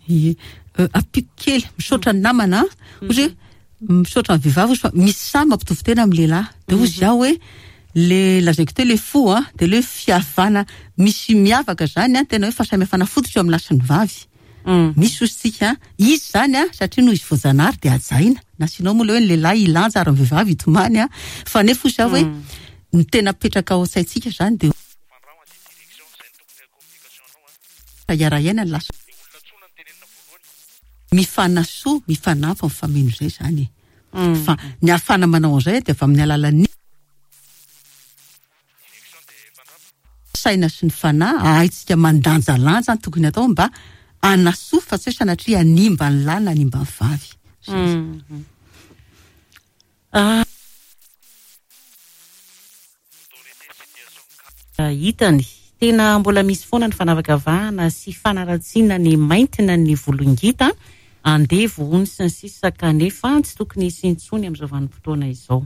Ie. Euh, ampiko kely, misaotra ny namana ozy hoe misaotra ny vehivavy ozy fa misy samy mampitovy tena amin'ny lehilahy, de ozy zaho hoe le lazaiko teo le fo a, de le hoe fihavana misy miavaka zany a, tena hoe fahasamihafana fototra eo amin'ny lahy sy ny vavy. Misy ozy tsika izy zany a, satria noho izy voajanahary de hajaina, na sinao moa le hoe ny lehilahy ilanja ary ny vehivavy hitomany a, fa nefa ozy zaho hoe Ny tena apetraka ao an-tsaintsika zany dia hiara-hiaina ny lasa mifanasoa, mifanampy, mifameno izay zany e. Fa ny ahafahana manao an'izay dia avy amin'ny alalan'ny saina sy ny fanahy, ahaitsika mandanjalanja ny tokony atao mba hanasoa fa tsy hoe sanatria hanimba ny lahy na hanimba ny vavy. Hitany tena mbola misy foana ny fanavakavahana sy fanaratsiana ny mainty na ny volongita, andevo hono sy ny sisa, kanefa tsy tokony hisy intsony amin'izao vanim-potoana izao.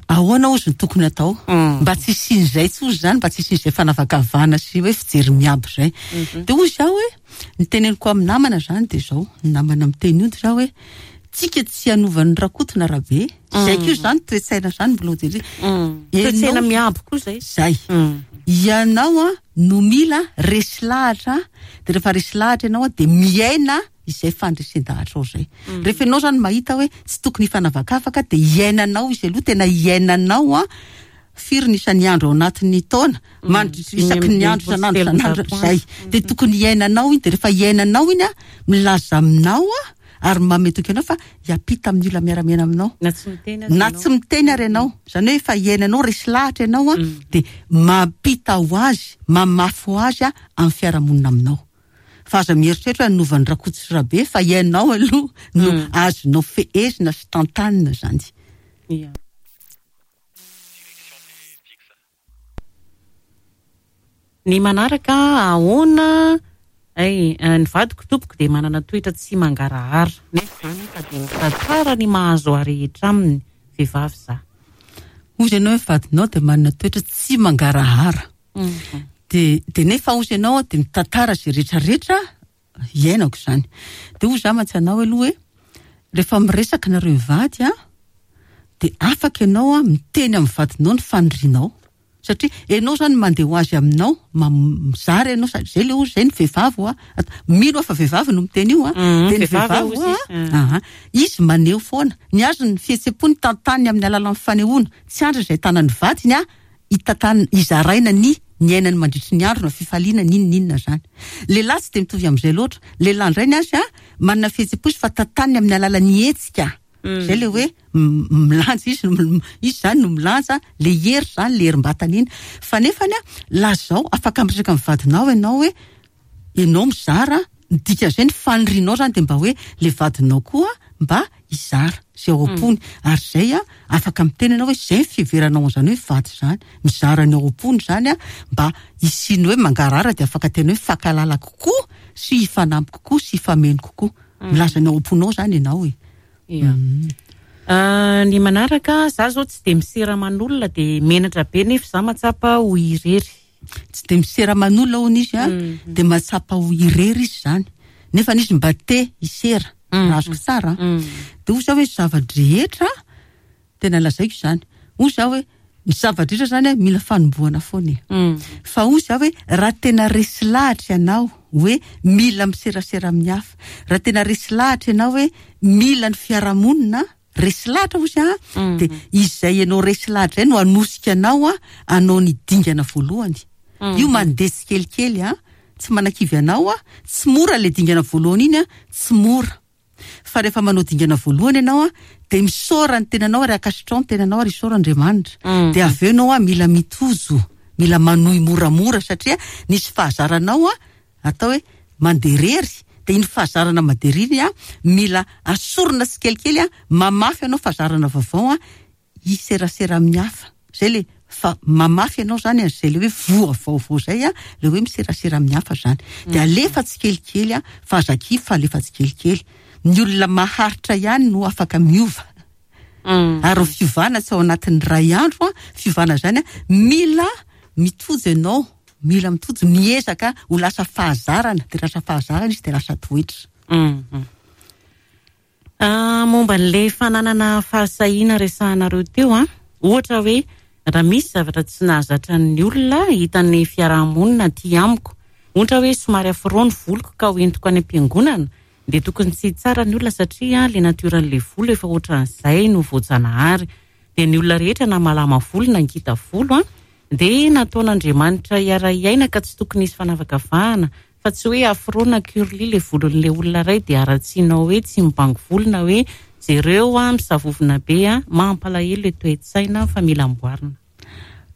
Ahoana ozy ny tokony atao mba tsy hisian'izay tsy ozy zany, mba tsy hisian'izay fanavakavahana sy hoe fijery miabo izay. Dia ozy aho hoe ny teneniko amin'ny namana zany dia izao, ny namana miteny io dia zaho hoe tsika tsy hanovan'ny Rakoto na Rabe, zay koa zany toe-tsaina zany mbola ho jery. Toe-tsaina miabo koa zay. Zay. Ianao a no mila resy lahatra, dia rehefa resy lahatra ianao a dia miaina izay fandresen-dahatra ao izay. Rehefa ianao zany mahita hoe tsy tokony hifanavakavaka dia iainanao izy aloha, tena iainanao a firy ny isan'ny andro ao anatin'ny taona, mandritry isaky ny andro, isan'andro, isan'andro, izay. Dia tokony iainanao iny, dia rehefa iainanao iny a milaza aminao a ary manome toky anao fa hiampita amin'ny olona miara-miaina aminao. Na tsy miteny aza Na tsy miteny ary ianao. Izany hoe efa iainanao, resy lahatra ianao a, dia mampita ho azy, mamafy ho azy a amin'ny fiarahamonina aminao. Fa aza mieritreritra hoe hanovan'ny Rakoto sy Rabe fa ianao aloha no azonao fehezina sy tantanina zany. Ia. Ny manaraka ahoana? Ay, ny vadiko tompoko dia manana toetra tsy mangarahara. Nefa izany efa dia mitantara ny mahazo ahy rehetra aminy, vehivavy za. Hozy ianao hoe vadinao dia manana toetra tsy mangarahara. Dia, dia nefa hozy ianao dia mitantara izay rehetrarehetra iainako izany. Dia hozy za mantsy anao aloha hoe rehefa miresaka nareo mivady a, dia afaka ianao a miteny amin'ny vadinao ny fanirianao. Satria ianao zany mandeha ho azy aminao, mam-, mizara ianao, sady zay le ozy, zay ny vehivavy hoa. At-, mino aho fa vehivavy no miteny io a. Mm, Dia ny vehivavy vehivavy ozy hoa, izy. aha, izy maneho foana. Ny azy ny fihetseham-pony tantaniny amin'ny alalan'ny fanehoana. Tsy andry izay tanan'ny vadiny a, hitantaniny, hizaraina ny ny ainany mandritry ny andro na fifaliana n'inon'inona zany. Lehilahy tsy dia mitovy amin'izay loatra. Lehilahy indray ny azy a, manana fihetseham-po izy fa tantaniny amin'ny alalan'ny hetsika. Zay le hoe m-, milanja izy, m-, izy zany no milanja, le hery zany, le herim-batana iny. Fa nefany a, lazao, afaka miresaka amin'ny vadinao ianao hoe ianao mizara, ny dikan'izay ny fanirianao zany dia mba hoe le vadinao koa mba hizara izay ao am-pony. Ary izay a, afaka miteny ianao hoe izay ny fiheveranao an'izany hoe vady izany, mizara ny ao am-pony izany a, mba hisian'ny hoe mangarahara dia afaka tena hoe mifankahalala kokoa sy hifanampy kokoa sy hifameno kokoa. Milaza ny ao am-ponao izany ianao e. Ia. Ah, ny manaraka, za zao tsy dia misera aman'olona dia menatra be nefa za mahatsapa ho irery. Tsy dia misera aman'olona hono izy a, Mm. dia mahatsapa ho irery izy zany. Nefa izy mba te hisera, Mm. raha azoko tsara. Mm. Dia hoy za hoe zava-drehetra, tena lazaiko izany. Hoy za hoe ny zava-drehetra zany a, mila fanombohana foana e. Mm. Fa hoy za hoe raha tena resy lahatra ianao hoe mila miserasera amin'ny hafa, raha tena resy lahatra ianao hoe mila ny fiarahamonina, resy lahatra hoy za, Mm. dia izay ianao resy lahatra izay no hanosika anao a, hanao ny dingana voalohany. Mm. Io mandeha tsikelikely a, tsy manakivy anao a, tsy mora le dingana voalohany iny a, tsy mora. Fa rehefa manao dingana voalohany ianao a, dia misaora ny tenanao ary ankasitrao ny tenanao ary isaora Andriamanitra. Mm. Dia avy eo ianao a, mila mitozo, mila manohy moramora satria nisy fahazaranao a, atao hoe mandeha irery. Dia iny fahazarana mandeha irery iny a, mila asorina tsikelikely a, mamafy ianao fahazarana vaovao a, hiserasera amin'ny hafa. Zay le fa mamafy ianao zany an'izay le hoe voa vaovao zay a, le hoe miserasera amin'ny hafa zany. Dia alefa tsikelikely a, fa aza kivy fa alefa tsikelikely. Ny olona maharitra ihany no afaka miova. Mm. Ary ny fiovana tsy ao anatin'ny ray andro a, fiovana zany a, mila mitojo ianao, mila mitojo, miezaka ho lasa fahazarana, dia lasa fahazarana izy dia lasa toetra. Mm, mm. Ah, momba an'ilay fananana fahasahiana resahanareo teo a, ohatra hoe raha misy zavatra tsy nahazatra ny olona hitan'ny fiarahamonina aty amiko, ohatra hoe somary afro ny voloko ka hoentiko any am-piangonana, dia tokony tsy hitsara ny olona satria le natioran'ilay volo efa ohatran'izay no voajanahary. Dia ny olona rehetra na malama volo na ngita volo a, dia nataon'Andriamanitra hiara-hiaina ka tsy tokony hisy fanavakavahana, fa tsy hoe afro na curly le volon'le olona iray dia haratsianao hoe tsy mibango volo na hoe jereo a misavovona be a, mampalahelo le toe-tsaina fa mila amboarina.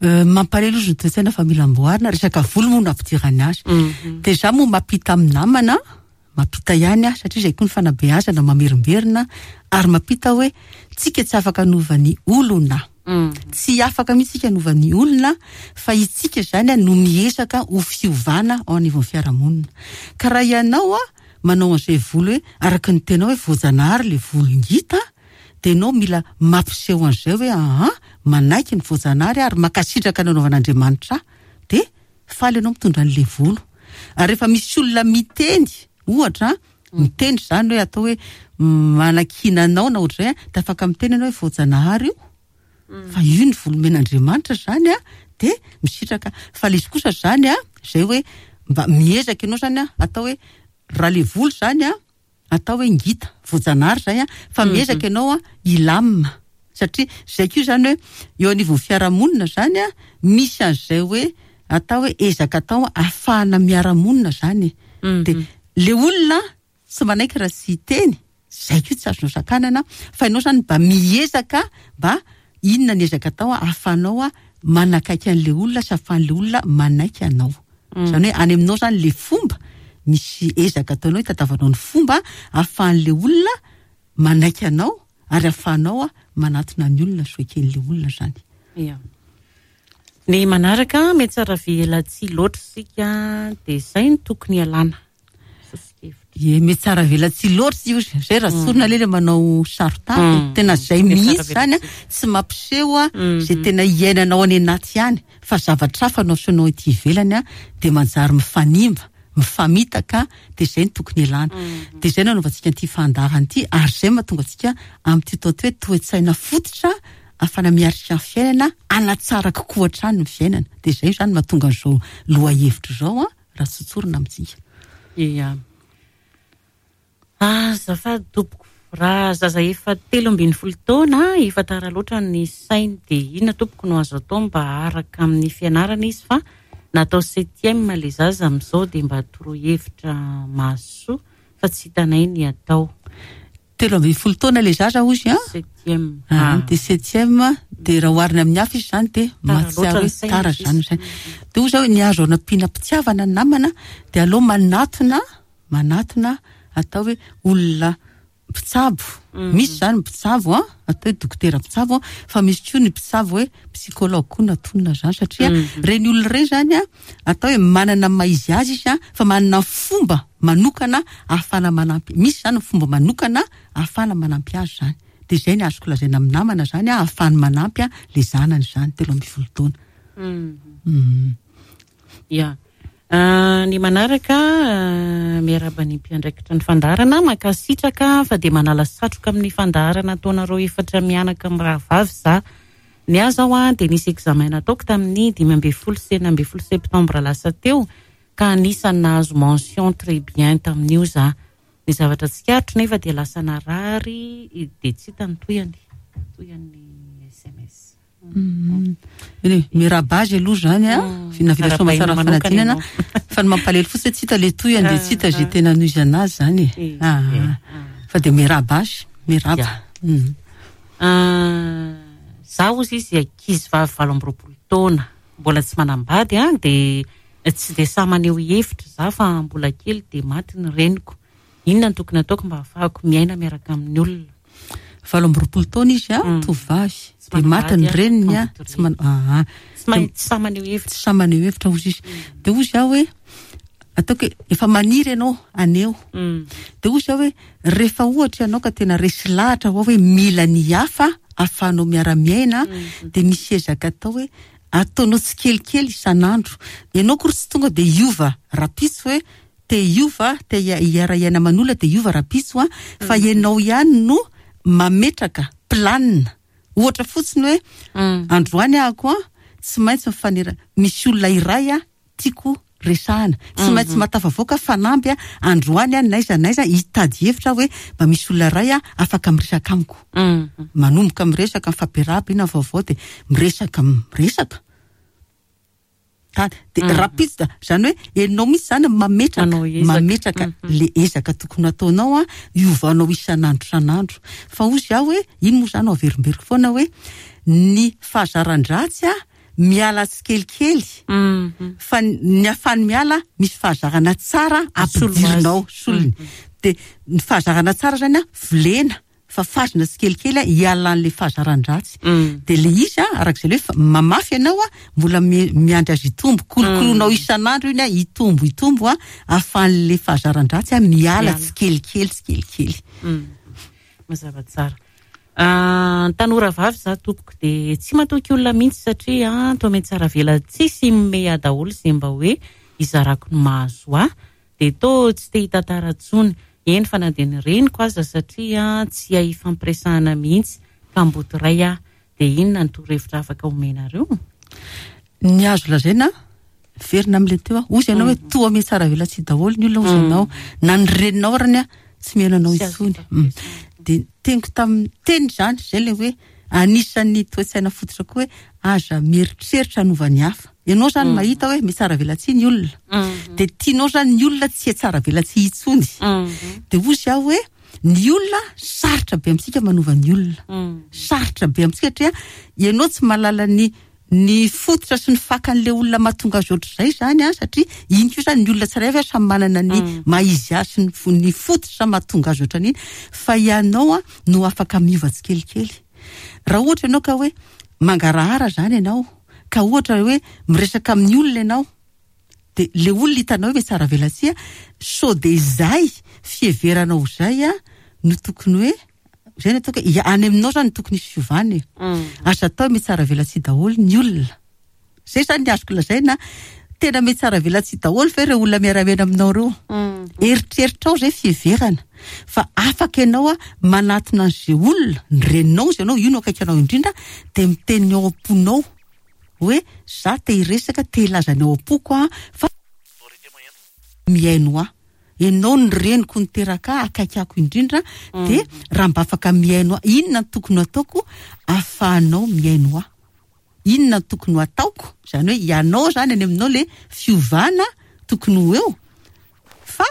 Mampalahelo izy ny toe-tsaina fa mila amboarina, resaka volo moa no ampidirany azy. Dia za moa mampita amin'ny namana, mampita ihany aho satria izay koa ny fanabeazana mamerimberina, ary mampita hoe tsika tsy afaka hanova ny olona. Tsy afaka mihitsy tsika hanova ny olona, fa itsika zany no miezaka ho fiovana ao anivon'ny fiarahamonina. Ka raha ianao a manao an'izay volo hoe araka ny tena hoe voajanahary le volo ngita, dia ianao mila mampiseho an'izay hoe aha, manaiky ny voajanahary ary mankasitraka ny nanaovan'Andriamanitra, dia faly ianao mitondra an'le volo. Ary rehefa misy olona miteny, ohatra, miteny zany hoe atao hoe manakiana anao na ohatr'izay, dia afaka miteny ianao hoe voajanahary io, fa io ny volomen'Andriamanitra zany a, dia misitraka. Fa le izy kosa zany a, zay hoe mba miezaka ianao zany a, atao hoe raha le volo zany a, atao hoe ngita, voajanahary zay a, fa miezaka ianao a hilamina, satria zay koa zany hoe eo anivon'ny fiarahamonina zany a, misy an'izay hoe atao hoe ezaka atao ahafahana miara-monina zany. Dia le olona tsy manaiky raha tsy hiteny, zay koa tsy azonao sakanana, fa ianao zany mba miezaka mba inona ny ezaka atao ahafahanao a manakaiky an'le olona sy ahafahan'le olona manaiky anao. Zany hoe any aminao zany le fomba, misy ezaka ataonao hitadiavanao ny fomba ahafahan'le olona manaiky anao ary ahafahanao a manatona ny olona sy ho eken'le olona zany. Ia. Ny manaraka mety tsara velatsihy loatra isika, dia izay no tokony hialana. Ie, mety tsara velatsihy loatra io, zay raha tsorina le le manao saro-tava, tena zay mihitsy zany a, tsy mampiseho a zay tena iainanao any anaty ihany, fa zavatra hafa no asehonao ety ivelany a, dia manjary mifanimba, mifamitaka, dia zay no tokony hialana. Dia zay no anaovantsika an'ity fandaharana ity, ary zay mahatonga antsika amin'ity atao hoe toe-tsaina fototra ahafahana miatrika ny fiainana, hanatsara kokoa hatrany ny fiainana. Dia zay zany mahatonga an'izao lohahevitra izao a, raha tsotsorina amintsika. Ia. Azafady tompoko, raha zaza efa telo ambin'ny folo taona, efa tara loatra ny sainy, dia inona tompoko no azo atao mba araka amin'ny fianarana izy, fa natao septième le zaza amin'izao, dia mba torohevitra mahasoa fa tsy hitanay ny atao. Telo ambin'ny folo taona le zaza hozy a? Septième. Ah, dia septième, dia raha oharina amin'ny hafa izy zany dia Tara loatra mahatsiaro ny hoe sainy tara izy. zany ny sainy. Dia hoy zao hoe ny azo anampiana mpitiavana ny namana, dia aleo manatona, manatona atao hoe olona mpitsabo. Misy zany mpitsabo a, atao hoe dokotera mpitsabo a, fa misy koa ny mpitsabo hoe psychologue koa natonina zany, satria reny olona ireny zany a, atao hoe manana maha izy azy izy a, fa manana fomba manokana ahafahana manampy. Misy zany fomba manokana ahafahana manampy azy zany. Dia izay ny azoko lazaina amin'ny namana zany a, ahafahany manampy a le zanany zany telo ambin'ny folo taona. Ia. Ny manaraka, miarahaba ny mpiandraikitra ny fandaharana, mankasitraka fa dia manala satroka amin'ny fandaharana ataonareo efatra mianaka mirahavavy za. Ny ahy zao a dia nisy examen nataoko tamin'ny dimy ambin'ny folo sy enina ambin'ny folo septembre lasa teo, ka anisan'ny nahazo mention très bien tamin'io za. Ny zavatra tsikaritro nefa dia lasa narary, dia tsy hita ny tohiny, tohin'ny S M S. Eny, miarahaba azy aloha zany a, navita soa aman-tsara Miarahaba manokana fanadinana, ianao. fa ny mampalahelo fotsiny tsy hita le tohiny, dia tsy hita izay tena noizana azy zany e. Eh, Ah, eh, fa dia miarahaba azy, miarahaba. Ya. Mm. Ah, za hozy izy ankizy vavy valo amby roapolo taona, mbola tsy manambady a, dia tsy dia samy maneho hevitra za fa mbola kely dia maty ny reniko. Inona no tokony ataoko mba ahafahako miaina miaraka amin'ny olona? Valo amby roapolo taona izy a, Mm. tovovavy. Tsy Dia maty ny manambady a, reniny a, kamboty tsy man-, ah, ah. Tsy mahay, tsy samy maneho hevitra. Tsy samy maneho hevitra hozy izy. Dia hozy aho hoe, ataoko hoe efa maniry ianao haneho. Mm. Dia hozy aho hoe rehefa ohatra ianao ka tena resy lahatra ho hoe mila ny hafa ahafahanao miara-miaina, Mm. dia misy ezaka atao hoe ataonao tsikelikely isan'andro. Ianao akory tsy tonga dia hiova rahampitso hoe te hiova, te hia-, hiara-hiaina aman'olona dia hiova rahampitso a, fa Mm. ianao ihany no mametraka planina. Ohatra fotsiny hoe Mm. androany ahako a, tsy maintsy mifanera, misy olona iray a tiako resahana, tsy maintsy mahatafavoaka fanamby a androany a n'aiza n'aiza hitady hevitra hoe mba misy olona iray a afaka miresaka amiko. Manomboka miresaka mifampiarahaba ina vaovao dia miresaka miresaka. De rapide da zany hoe ianao mihitsy zany mametraka mametraka le ezaka tokony ataonao a iovanao isan'andro isan'andro. Fa ozy aho hoe iny moa zany averimberiko foana hoe ny fahazaran-dratsy a miala tsikelikely fa ny afany miala misy fahazarana tsara ampidirinao solony. De ny fahazarana tsara zany a volena fa fazina tsikelikely a hialan'le fahazaran-dratsy. De le izy a arak'izay le hoe mamafy ianao a mbola miandry azy hitombo, kolokoloinao isan'andro iny a hitombo hitombo a ahafahan'le fahazaran-dratsy a miala tsikelikely tsikelikely. Mazava tsara. Tanora vavy za tompoko de tsy matoky olona mihitsy satria toa metsara vela tsisy mimehy daholo izay mba hoe izarako ny mahazo ahy de tô tsy te hitantara intsony. Eny fa na dia ny reniko aza satria tsy hay ifampiresahana mihitsy kamboty iray aho. De inona ny torohevitra afaka omenareo? Ny azo lazaina verina amin'ilay teo aho, ozy ianao hoe toa metsara vela tsy daholo ny olona ozy ianao na ny reninao arany a tsy mihaino anao intsony. De teniko tamin'ny teny zany zay le hoe anisan'ny toe-tsaina fototra koa hoe aza mieritreritra hanova ny hafa. Ianao zany mahita hoe mitsara velatsihy ny olona. De tianao zany ny olona tsy hitsara velatsihy intsony. De ozy aho hoe ny olona sarotra be amintsika manova ny olona. Sarotra be amintsika satria ianao tsy mahalala ny ny fototra sy ny fakan'le olona mahatonga azy ohatr'izay zany a, satria iny koa zany ny olona tsirairay avy samy manana ny maha izy azy sy ny fo-, ny fototra mahatonga azy ohatran'iny, fa ianao a no afaka miova tsikelikely. Raha ohatra ianao ka hoe mangarahara zany ianao, ka ohatra hoe miresaka amin'ny olona ianao, de le olona hitanao hoe mitsara velatsihy a, sao de izay fiheveranao izay a no tokony hoe zay no ataoko hoe ia, any aminao zany no tokony hisy fiovana e. Aza atao mitsara velatsihy daholo ny olona. Zay zany ny azoko lazaina, tena mitsara velatsihy daholo ve ireo olona miara-miaina aminao ireo? Eritreritrao zay fiheverana fa afaka ianao a manatona an'izay olona, ny reninao izy ianao, io no akaiky anao indrindra, de miteny ao am-ponao hoe za te hiresaka, te hilaza ny ao am-poko a, fa mihaino ahy. Ianao ny reniko niteraka ahy, akaiky ako indrindra, de raha mba afaka mihaino ahy, inona no tokony ataoko ahafahanao mihaino ahy? Inona no tokony ataoko? Zany hoe ianao zany any aminao le fiovana tokony ho eo, fa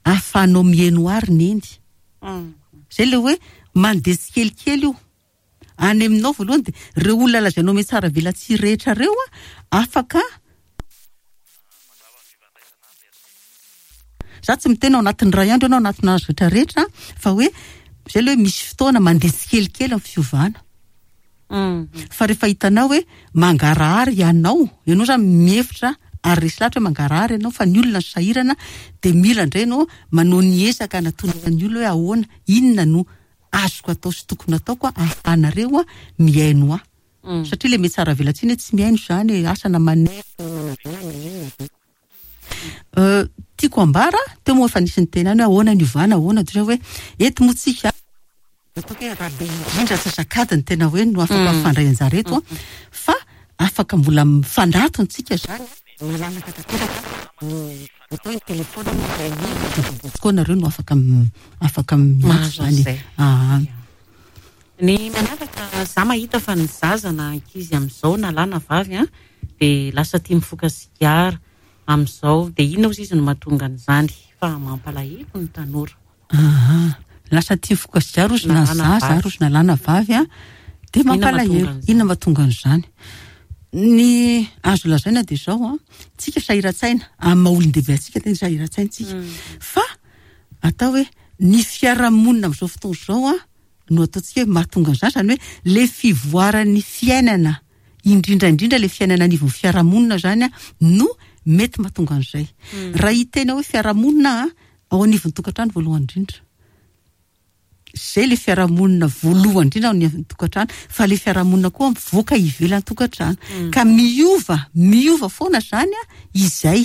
ahafahanao mihaino ahy ry neny. Zay le hoe mandeha tsikelikely io. Any aminao voalohany de reo olona lazainao mitsara velatsihy rehetra reo a, afaka za tsy miteny ao anatin'ny ray andro ianao, anatin'ny azo rehetra rehetra, fa hoe zay le hoe misy fotoana mandeha tsikelikely amin'ny fiovana. Fa rehefa hitanao hoe mangarahara ianao, ianao zany mihevitra ary resy lahatra hoe mangarahara ianao, fa ny olona ny sahirana de mila indray ianao manao ny ezaka anatonana ny olona hoe ahoana, inona no azoko atao sy tokony ataoko a, ahafahanareo a mihaino ahy. Satria le mitsara velatsihy anie tsy mihaino zany e, asa na manefy. Euh, tiako ambara, teo moa efa nisy niteny ihany hoe ahoana ny ovana, ahoana, toy izay hoe eto moa tsika ataoko hoe raha be indrindra antsasak'adiny ny tena hoe no afaka mifandray anjara eto a, fa afaka mbola mifanatona tsika zany, malalaka tanteraka ny atao hoe telefona koa nareo no afaka m-, afaka miantso Mahazo zany. an'izay. Ah. Ny manaraka, za mahita fa ny zaza na ankizy amin'izao na lahy na vavy a, de lasa tia mifoka sigara amin'izao, de inona ozy izy no mahatonga an'izany? Fa mampalahelo ny tanora. Aha. Lasa tia mifoka sigara ozy na Na lahy na zaza vavy. ary ozy na lahy na vavy a, de Inona mampalahelo. mahatonga an'izany? Inona mahatonga an'izany? Ny azo lazaina de zao a, tsika sahiran-tsaina, amin'ny maha olon-dehibe antsika tena sahiran-tsaina tsika. Fa atao hoe ny fiarahamonina amin'izao fotoana izao a, no ataontsika hoe mahatonga an'izany, zany hoe le fivoaran'ny fiainana, indrindra indrindra le fiainana anivon'ny fiarahamonina zany a, no mety mahatonga an'izay. Raha hiteny hoe fiarahamonina a, ao anivon'ny tokantrano voalohany indrindra. Zay le fiarahamonina voalohany indrindra ao anivon'ny tokantrano, fa le fiarahamonina koa mivoaka ivelan'ny tokantrano. Ka miova, miova foana zany a, izay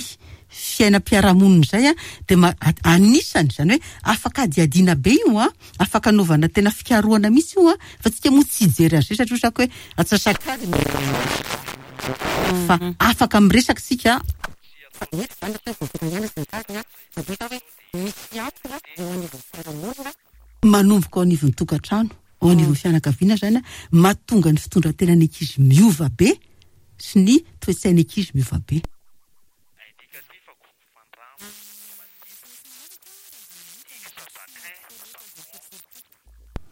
fiainam-piarahamonina izay a, de ma-, a-, anisany zany hoe afaka adiadiana be io a, afaka anaovana tena fikarohana mihitsy io a, fa tsika moa tsy hijery azy satria osako hoe atsasak'adiny. Fa afaka miresaka tsika. Manomboka ao anivon'ny tokantrano, ao anivon'ny fianakaviana zany a, mahatonga ny fitondran-tenan'ny ankizy miova be sy ny toe-tsain'ny ankizy miova be.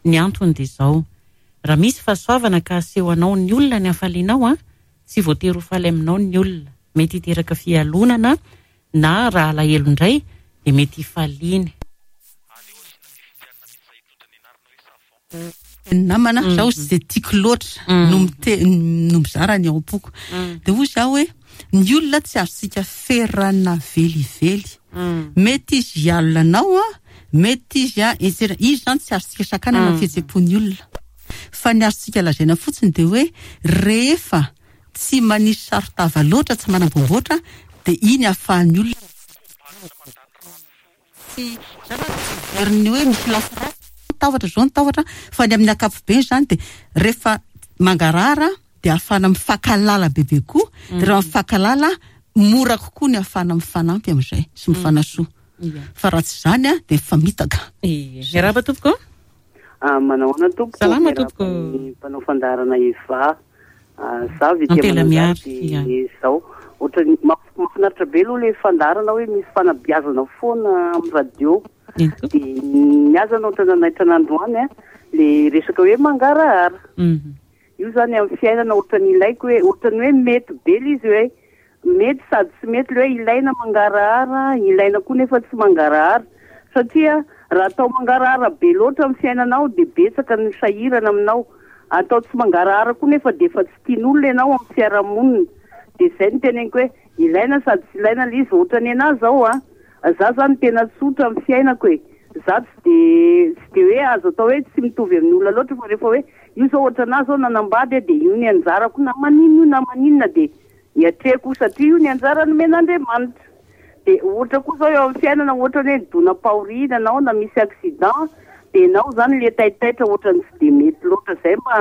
Ny antony dia izao, raha misy fahasoavana ka aseho anao ny olona ny hafalianao a, tsy voatery ho faly aminao ny olona. Mety hiteraka fialonana na raha alahelo indray dia mety hifaliany. Namana, zaho tsy dia tiako loatra no mite- no mizara ny ao am-poko. Dia hoy zaho hoe ny olona tsy azontsika ferana velively. Mety izy hialona anao a, mety izy a, et cetera. Izy zany tsy azontsika sakanana ny fihetseham-pon'ny olona. Fa ny azontsika lazaina fotsiny dia hoe rehefa tsy manisy saro-tava loatra, tsy manambomboatra, dia iny ahafahan'ny olona. Tsy veriny hoe misy lafy ratsy, tahotra zao ny tahotra, fa ny amin'ny ankapobeny zany dia rehefa mangarahara dia ahafahana mifankalala bebe koa, dia rehefa mifankalala mora kokoa ny ahafahana mifanampy amin'izay sy mifanasoa. Fa raha tsy izany a dia mifamitaka. Miarahaba tompoko. Ah, manao ahoana tompoko? Salama Miarahaba tompoko. ny mpanao fandaharana Eva. Ah, za ve Ampela tia miary, manao ia. dia zao. Ohatran'ny maf-, mahafinaritra be aloha ilay fandaharana hoe misy fanabeazana foana amin'ny radio. Eny tompoko. Dia ny aza no ohatran'ny nanaitra an'androany a, le resaka hoe mangarahara. Mhm. Io zany amin'ny fiainana ohatran'ny ilaiko hoe ohatran'ny hoe mety be ilay izy hoe mety sady tsy mety ilay hoe ilaina mangarahara, ilaina koa nefa tsy mangarahara. Satria raha atao mangarahara be loatra amin'ny fiainanao dia betsaka ny sahirana aminao. Atao tsy mangarahara koa nefa dia efa tsy tian'olona ianao amin'ny fiarahamonina. Dia izay no teneniko hoe ilaina sady tsy ilaina ilay izy. Ohatran'ny anahy izao a, za zany tena tsotra amin'ny fiainako e. Za tsy de, tsy de hoe azo atao hoe tsy mitovy amin'ny olona loatra, fa rehefa hoe io zao ohatra anahy zao nanambady dia io ny anjarako na maninona io na maninona dia hiatrehako satria io ny anjara nomen'Andriamanitra. Dia ohatra koa zao eo amin'ny fiainana, ohatra hoe nidonam-pahoriana anao na misy accident dia ianao zany le taitaitra ohatran'ny tsy dia mety loatra. Izay mba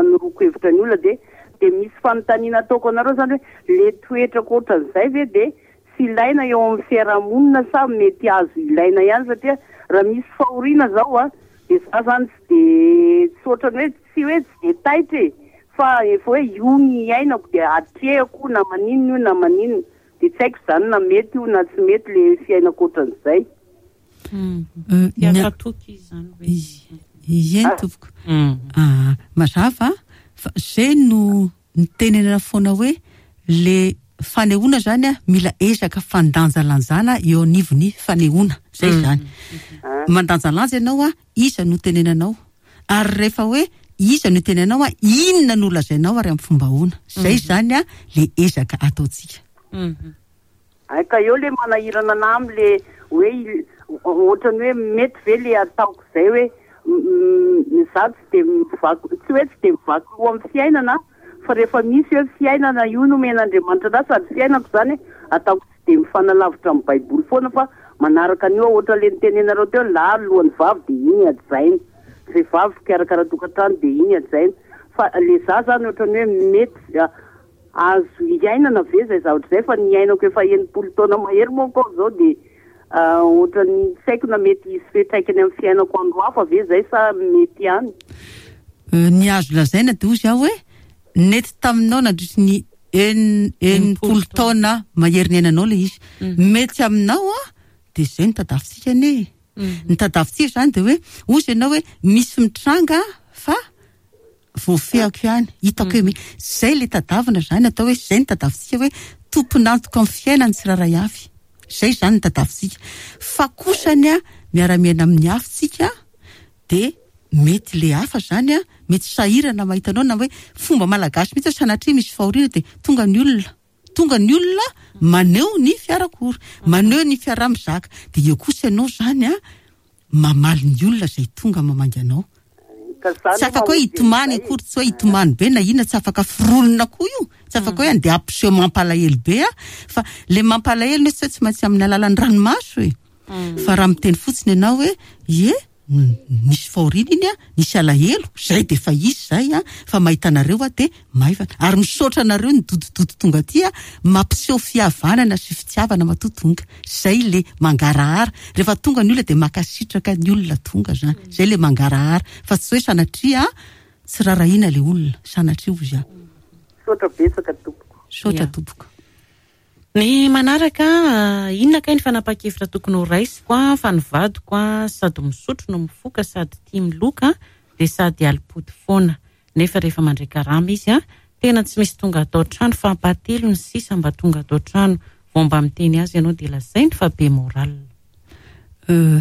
noroako hevitra ny olona. Dia, dia misy fanontaniana ataoko anareo zany hoe le toetrako ohatran'izay ve dia tsy ilaina eo amin'ny fiarahamonina sa mety azo ilaina ihany? Satria raha misy fahoriana zao a, dia za zany tsy dia, tsy ohatran'ny hoe tsy hoe tsy dia taitra e, fa efa hoe io ny iainako dia atrehako na maninona io na maninona. Dia tsy haiko zany na mety io na tsy mety le fiainako ohatran'izay. Euh, Tia ny- fatoky izy zany hoe. Ie, tompoko. Mm. Ah, mazava fa zay no nitenenana foana hoe le fanehoana zany a mila ezaka fandanjalanjana eo anivon'ny fanehoana. Zay zany. Mandanjalanja ianao a, iza no tenenanao? Ary rehefa hoe iza no tenenanao a, inona no lazainao ary amin'ny fomba ahoana? Zay zany a le ezaka ataontsika. Mhm. Ay, ka eo le manahirana anahy am'le hoe il-, ohatran'ny hoe mety ve le ataoko zay hoe, m-, m-, za tsy de mivaky, tsy hoe tsy de mivaky loha amin'ny fiainana, fa rehefa misy hoe fiainana io no omen'Andriamanitra anahy, sady fiainako zany ataoko tsy de mifanalavitra amin'ny Baiboly foana, fa manaraka an'io ohatra le nitenenareo teo, lahy lohan'ny vavy dia iny hajaina, vehivavy mpikarakara tokantrano dia iny hajaina. Fa le za zany ohatran'ny hoe mety, a, azo iainana ve zay zavatra zay? Fa ny iainako efa enimpolo taona mahery manko aho zao dia, ah, ohatran'ny tsy haiko na mety hisy fiantraikany amin'ny fiainako andro hafa ve zay sa mety ihany? Euh, ny azo lazaina dia hozy aho hoe nety taminao nandritry ny en-, enimpolo taona mahery ny ainanao ilay izy. Mety aminao a, dia izay no tadiavintsika anie. Ny tadiavintsika izany dia hoe hozy ianao hoe misy mitranga fa voafehako ihany, hitako hoe mi-, izay ilay tadiavina izany, atao hoe izay no tadiavintsika hoe tompon'antoka amin'ny fiainany tsirairay avy. Izay izany no tadiavintsika. Fa kosany a, miara-miaina amin'ny hafa tsika, dia mety le hafa izany a, mety sahirana mahita anao, na hoe fomba malagasy mihitsy sanatria misy fahoriana dia tonga ny olona. Tonga ny olona maneho ny fiarakory, maneho ny fiaraha-mizaka. Dia eo kosa ianao izany a, mamaly ny olona izay tonga mamangy anao. Ka zany Tsy afaka hoe mamonjy hitomany an'izay. akory, tsy hoe hitomany be na inona, tsy afaka foronina koa io. Tsy afaka hoe andeha hampiseho mampalahelo be a, fa le mampalahelo nefa tsy hoe tsy maintsy amin'ny alalan'ny ranomaso e. Fa raha miteny fotsiny ianao hoe ie, Nisy fahoriana iny a, nisy alahelo, zay de efa izy zay a, fa mahita anareo a de maivana. Ary misaotra anareo ny dodododo tonga aty a, mampiseho fihavanana sy fitiavana matoa tonga. Zay le mangarahara. Rehefa tonga ny olona de mankasitraka ny olona tonga zany. Zay le mangarahara. Fa tsy hoe sanatria tsy rarahina le olona, sanatria ozy a. Misaotra betsaka tompoko. Misaotra tompoko. Ny manaraka, inona kay ny fanapahan-kevitra tokony ho raisiko a, fa ny vadiko a, sady misotro no mifoka sady tia miloka dia sady alipody foana. Nefa rehefa mandray karama izy a, tena tsy misy tonga atao trano fa ampatelo ny sisa mba tonga atao trano. Vao mba miteny azy ianao dia lazainy fa be moral. Euh,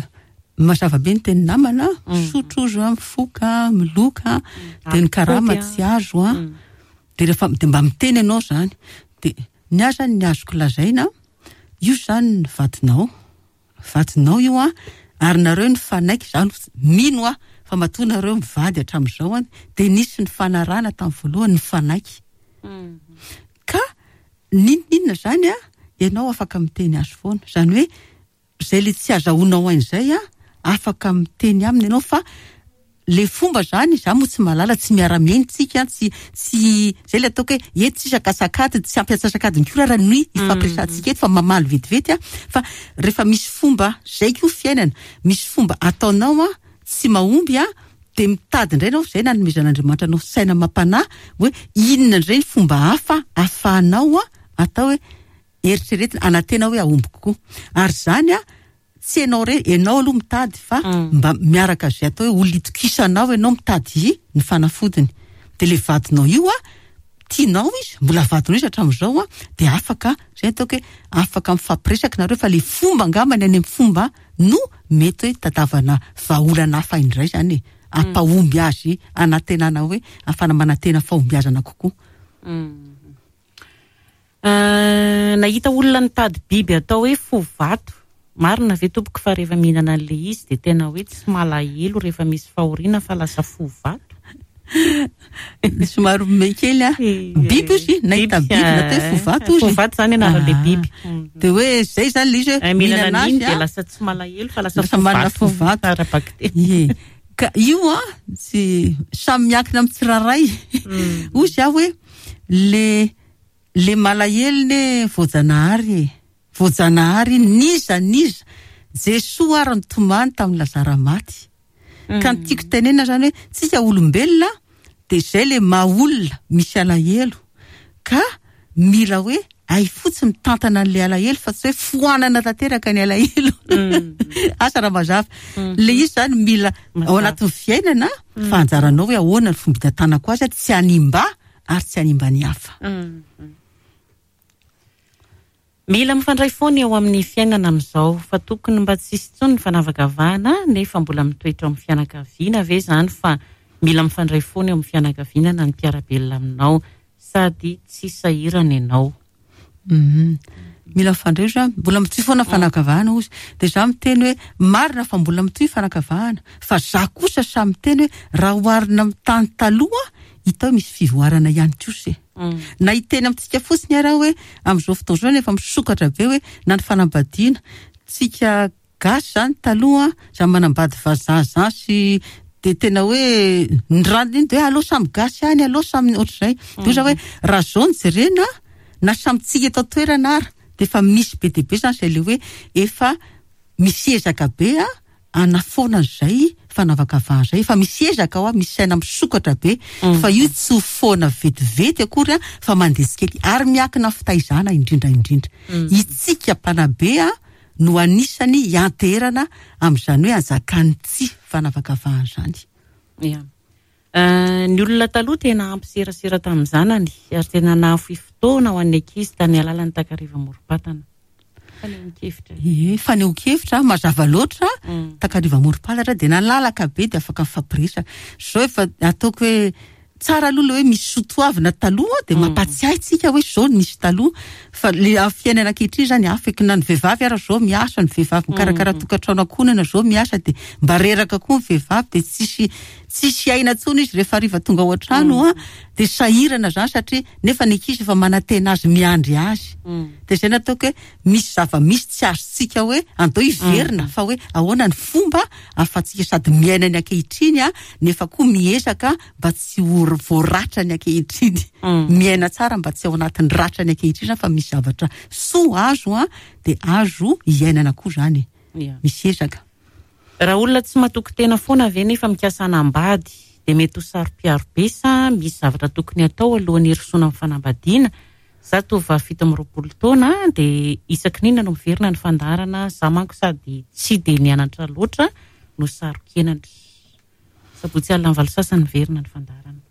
mazava be ny teny namana, misotro izy a, mifoka, miloka, dia ny karama tsy azo a. Dia rehefa dia mba miteny ianao zany. Dia ny ahy zany ny azoko lazaina, io zany ny vadinao, vadinao io a, ary nareo ny fanaiky zany mino a, fa matoa nareo mivady hatramin'izao a, dia nisy ny fanarahana tamin'ny voalohany ny fanaiky. Ka n'inon'inona zany a, ianao afaka miteny azy foana. Zany hoe zay le tsy azahoanao an'izay a, afaka miteny aminy ianao fa le fomba zany, za moa tsy mahalala, tsy miara-miaina tsika, tsy, tsy, zay le ataoko hoe eto tsisy akasakady, tsy ampiatsasakady ny koa raha ny ifampiresahantsika eto fa mamaly vetivety a, fa rehefa misy fomba, zay koa fiainana, misy fomba ataonao a, tsy mahomby a, dia mitady indray ianao, zay nanomezan'Andriamanitra anao saina mampanahy hoe inona indray ny fomba hafa ahafahanao a, atao hoe eritreretina, anantena hoe ahomby kokoa. Ary zany a, tsy ianao re, ianao aloha mitady fa mba miaraka zay atao hoe olona itokisanao ianao mitady ny fanafodiny. Dia le vadinao io a, tianao izy, mbola vadinao izy hatramin'izao a, dia afaka, zay ataoko hoe afaka mifampiresaka nareo fa le fomba angamba ny any amin'ny fomba no mety hoe tadavana vahaolana hafa indray zany e, ampahomby azy anantenana hoe ahafahana manantena fahombiazana kokoa. Nahita olona nitady biby atao hoe fo vato. Marina ve tompoko fa rehefa mihinana an'ilay izy dia tena hoe tsy malahelo rehefa misy fahoriana fa lasa fo vato? Somary mihomehy kely a. Biby izy, nahita biby natao hoe fo vato izy. Fo vato zany anaran'ilay biby. Dia hoe zay zany ilay izy hoe mihinana azy dia lasa tsy malahelo fa lasa fo vato. Ara-bakiteny. Ie. Ka io a, tsy samy miankina amin'ny tsirairay. Hoy izy aho hoe le le malahelo ne voajanahary e. Voajanahary niza niza. Jesoa ary nitomany tamin'ny Lazara maty. Ka ny tiako tenenina zany hoe tsika olombelona dia zay le maha olona misy alahelo. Ka mila hoe ay fotsiny mitantana an'ilay alahelo fa tsy hoe foanana tanteraka ny alahelo. Asa raha mazava. Le izy zany mila ao anatin'ny fiainana fa anjaranao hoe ahoana ny fomba hitantanako azy tsy hanimba ary tsy hanimba ny hafa. Mila mifandray foana eo amin'ny fiainana amin'izao fa tokony mba tsy hisy intsony ny fanavakavahana nefa mbola mitoetra ao amin'ny fianakaviana ve zany fa mila mifandray foana eo amin'ny fianakaviana na ny mpiara-belona aminao sady tsy sahirana ianao. Mila mifandray zany, mbola mitohy foana fanakavahana ozy. Dia za miteny hoe marina fa mbola mitohy fanakavahana, fa za kosa samy miteny hoe raha oharina amin'ny tany taloha hita hoe misy fivoarana ihany kosa e. Na hiteny amintsika fotsiny ara hoe amin'izao fotoana izao nefa misokatra be hoe na ny fanambadiana tsika gasy zany taloha za manambady vazaha zany sy dia tena hoe ny rano iny dia hoe aleo samy gasy ihany, aleo samy ohatr'izay. Dia oza hoe raha zao no jerena na samy tsika eto an-toerana ary dia efa misy be dia be zany izay le hoe efa misy ezaka be a anafoana an'izay fanavakavahana izay. Efa misy ezaka ao a, misy saina misokatra be fa io tsy ho foana vetivety akory a, fa mandeha tsikely ary miankina fitaizana indrindra indrindra. Itsika mpanabe a no anisany hianteherana amin'izany hoe anjakan'ny tsy fanavakavahana izany. Ia. Ny olona taloha tena ampiserasera tamin'ny zanany ary tena nahafoy fotoana ho an'ny ankizy tamin'ny alalan'ny takariva morom-patana. Fanehoan-kevitra. Ie, fanehoan-kevitra mazava loatra, takariva morom-patana dia nalalaka be dia afaka mifampiresaka. Zao efa ataoko hoe Tsara aloha le hoe misy sotoavina taloha de mampatsiahy tsika hoe zao nisy taloha, fa le fiainana ankehitriny zany afaka na ny vehivavy ara zao miasa, ny vehivavy mikarakara tokantrano ankohonana zao miasa, de mba reraka koa ny vehivavy, de tsisy tsisy aina intsony izy rehefa hariva tonga ao an-trano a, de sahirana zany satria nefa ny ankizy efa manantena azy, miandry azy. De zay nataoko hoe misy zava-misy tsy azontsika hoe andao hiverina, fa hoe ahoana ny fomba ahafahantsika sady miaina ny ankehitriny a, nefa koa miezaka mba tsy ho voaratra ny ankehitriny, miaina tsara mba tsy ao anatin'ny ratra ny ankehitriny zany, fa misy zavatra soa azo a, de azo iainana koa zany, misy ezaka. Raha olona tsy matoky tena foana ve nefa mikasa hanambady de mety ho saro-piaro be sa misy zavatra tokony atao alohan'ny hirosoana amin'ny fanambadiana? Za tovovavy fito amby roapolo taona de isaky n'inona no miverina ny fandaharana, za manko sady tsy de nianatra loatra no saro-kenatra. Sabotsy alina amin'ny valo sasany miverina ny fandaharana.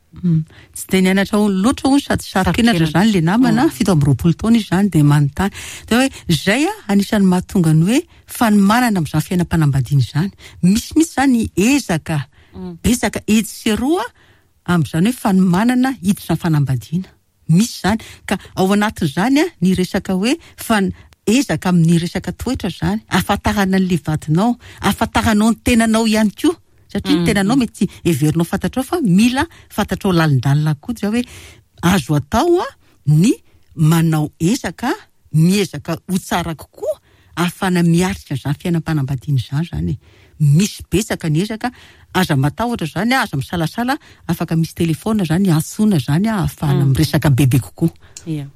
Tsy de nianatra loatra hono sady saro-kenatra zany le namana, fito amby roapolo taona izy zany de manontany. De hoe zay a anisan'ny mahatonga ny hoe fanomanana amin'izany fiainam-panambadiana izany. Misy mihitsy zany ezaka betsaka etsy sy eroa amin'izany hoe fanomanana hiditra amin'ny fanambadiana. Misy zany ka ao anatin'izany a ny resaka hoe fan ezaka amin'ny resaka toetra zany, ahafantarana an'le vadinao, ahafantaranao ny tenanao ihany koa. Satria ny tenanao mety heverinao fantatrao fa mila fantatrao lalindalina koa zao hoe azo atao a ny manao ezaka, miezaka ho tsara kokoa ahafahana miatrika izany fiainam-panambadiana izany zany. Misy betsaka ny ezaka, aza matahotra zany, aza misalasala, afaka misy telefona zany antsoina zany ahafahana miresaka bebe kokoa. Ia.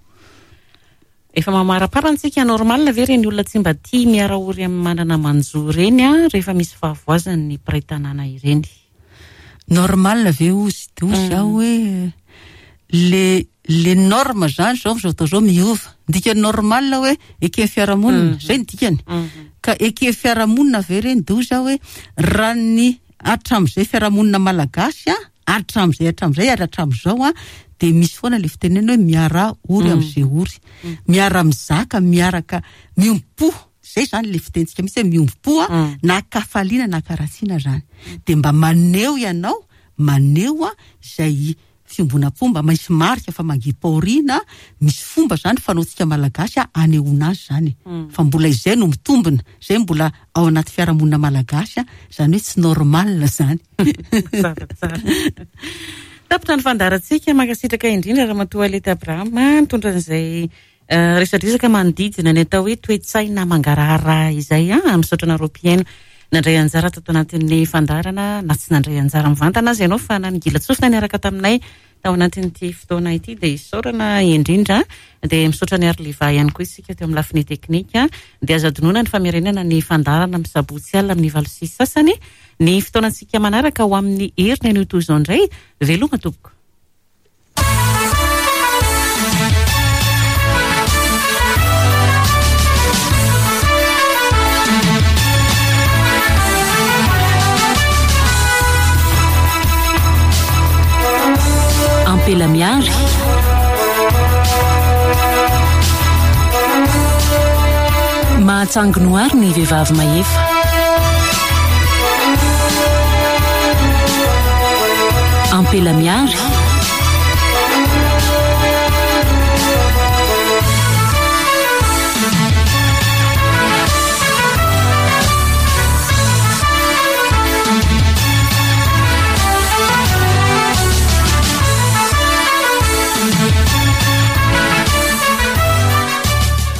Efa mamaraparantsika normal ve reny olona tsy mba tia miara-ory amin'ny manana manjo reny a rehefa misy fahavoazany ny mpiray tanàna ireny? Normal ve ozy? De ozy aho hoe le le norme zany zao amin'izao fotoana izao miova. Ny dikany normal hoe eken'ny fiarahamonina, zay ny dikany. Ka eken'ny fiarahamonina ve reny? De ozy aho hoe raha ny hatramin'izay fiarahamonina malagasy a, hatramin'izay hatramin'izay ary hatramin'izao a, de misy foana le fitenena hoe miara-ory amin'izay ory, miara-mizaka, miaraka miombom-po. Zay zany le fitentsika mihitsy hoe miombom-po a, na kafaliana na karatsiana zany. De mba maneho ianao, maneho a izay fiombonam-po, mba misy marika fa mangipaorina, misy fomba zany fanaontsika malagasy a anehoana azy zany. Fa mbola izay no mitombina, izay mbola ao anaty fiarahamonina malagasy a, zany hoe tsy normal zany. Tsara, tsara. Tapitra ny fandaharantsika, mankasitraka indrindra Ramatoa Alety Abraham nitondra an'izay resadresaka manodidina ny atao hoe toe-tsaina mangarahara izay a. Misaotra anareo mpihaino nandray anjara tato anatin'ny fandaharana, na tsy nandray anjara mivantana azy ianao fa nangilan-tsofina niaraka taminay tao anatin'ity fotoana ity, dia isaorana indrindra. Dia misaotra ny Arliva ihany koa isika teo amin'ny lafiny teknika. Dia azo adinoina ny famerenana ny fandaharana amin'ny sabotsy alina amin'ny valo sy sasany. Ny fotoanantsika manaraka ho amin'ny heriny anio toy izao indray. Veloma tompoko. Ampela miary. Mahatsanginoary ny vehivavy mahefa. Ampela miary.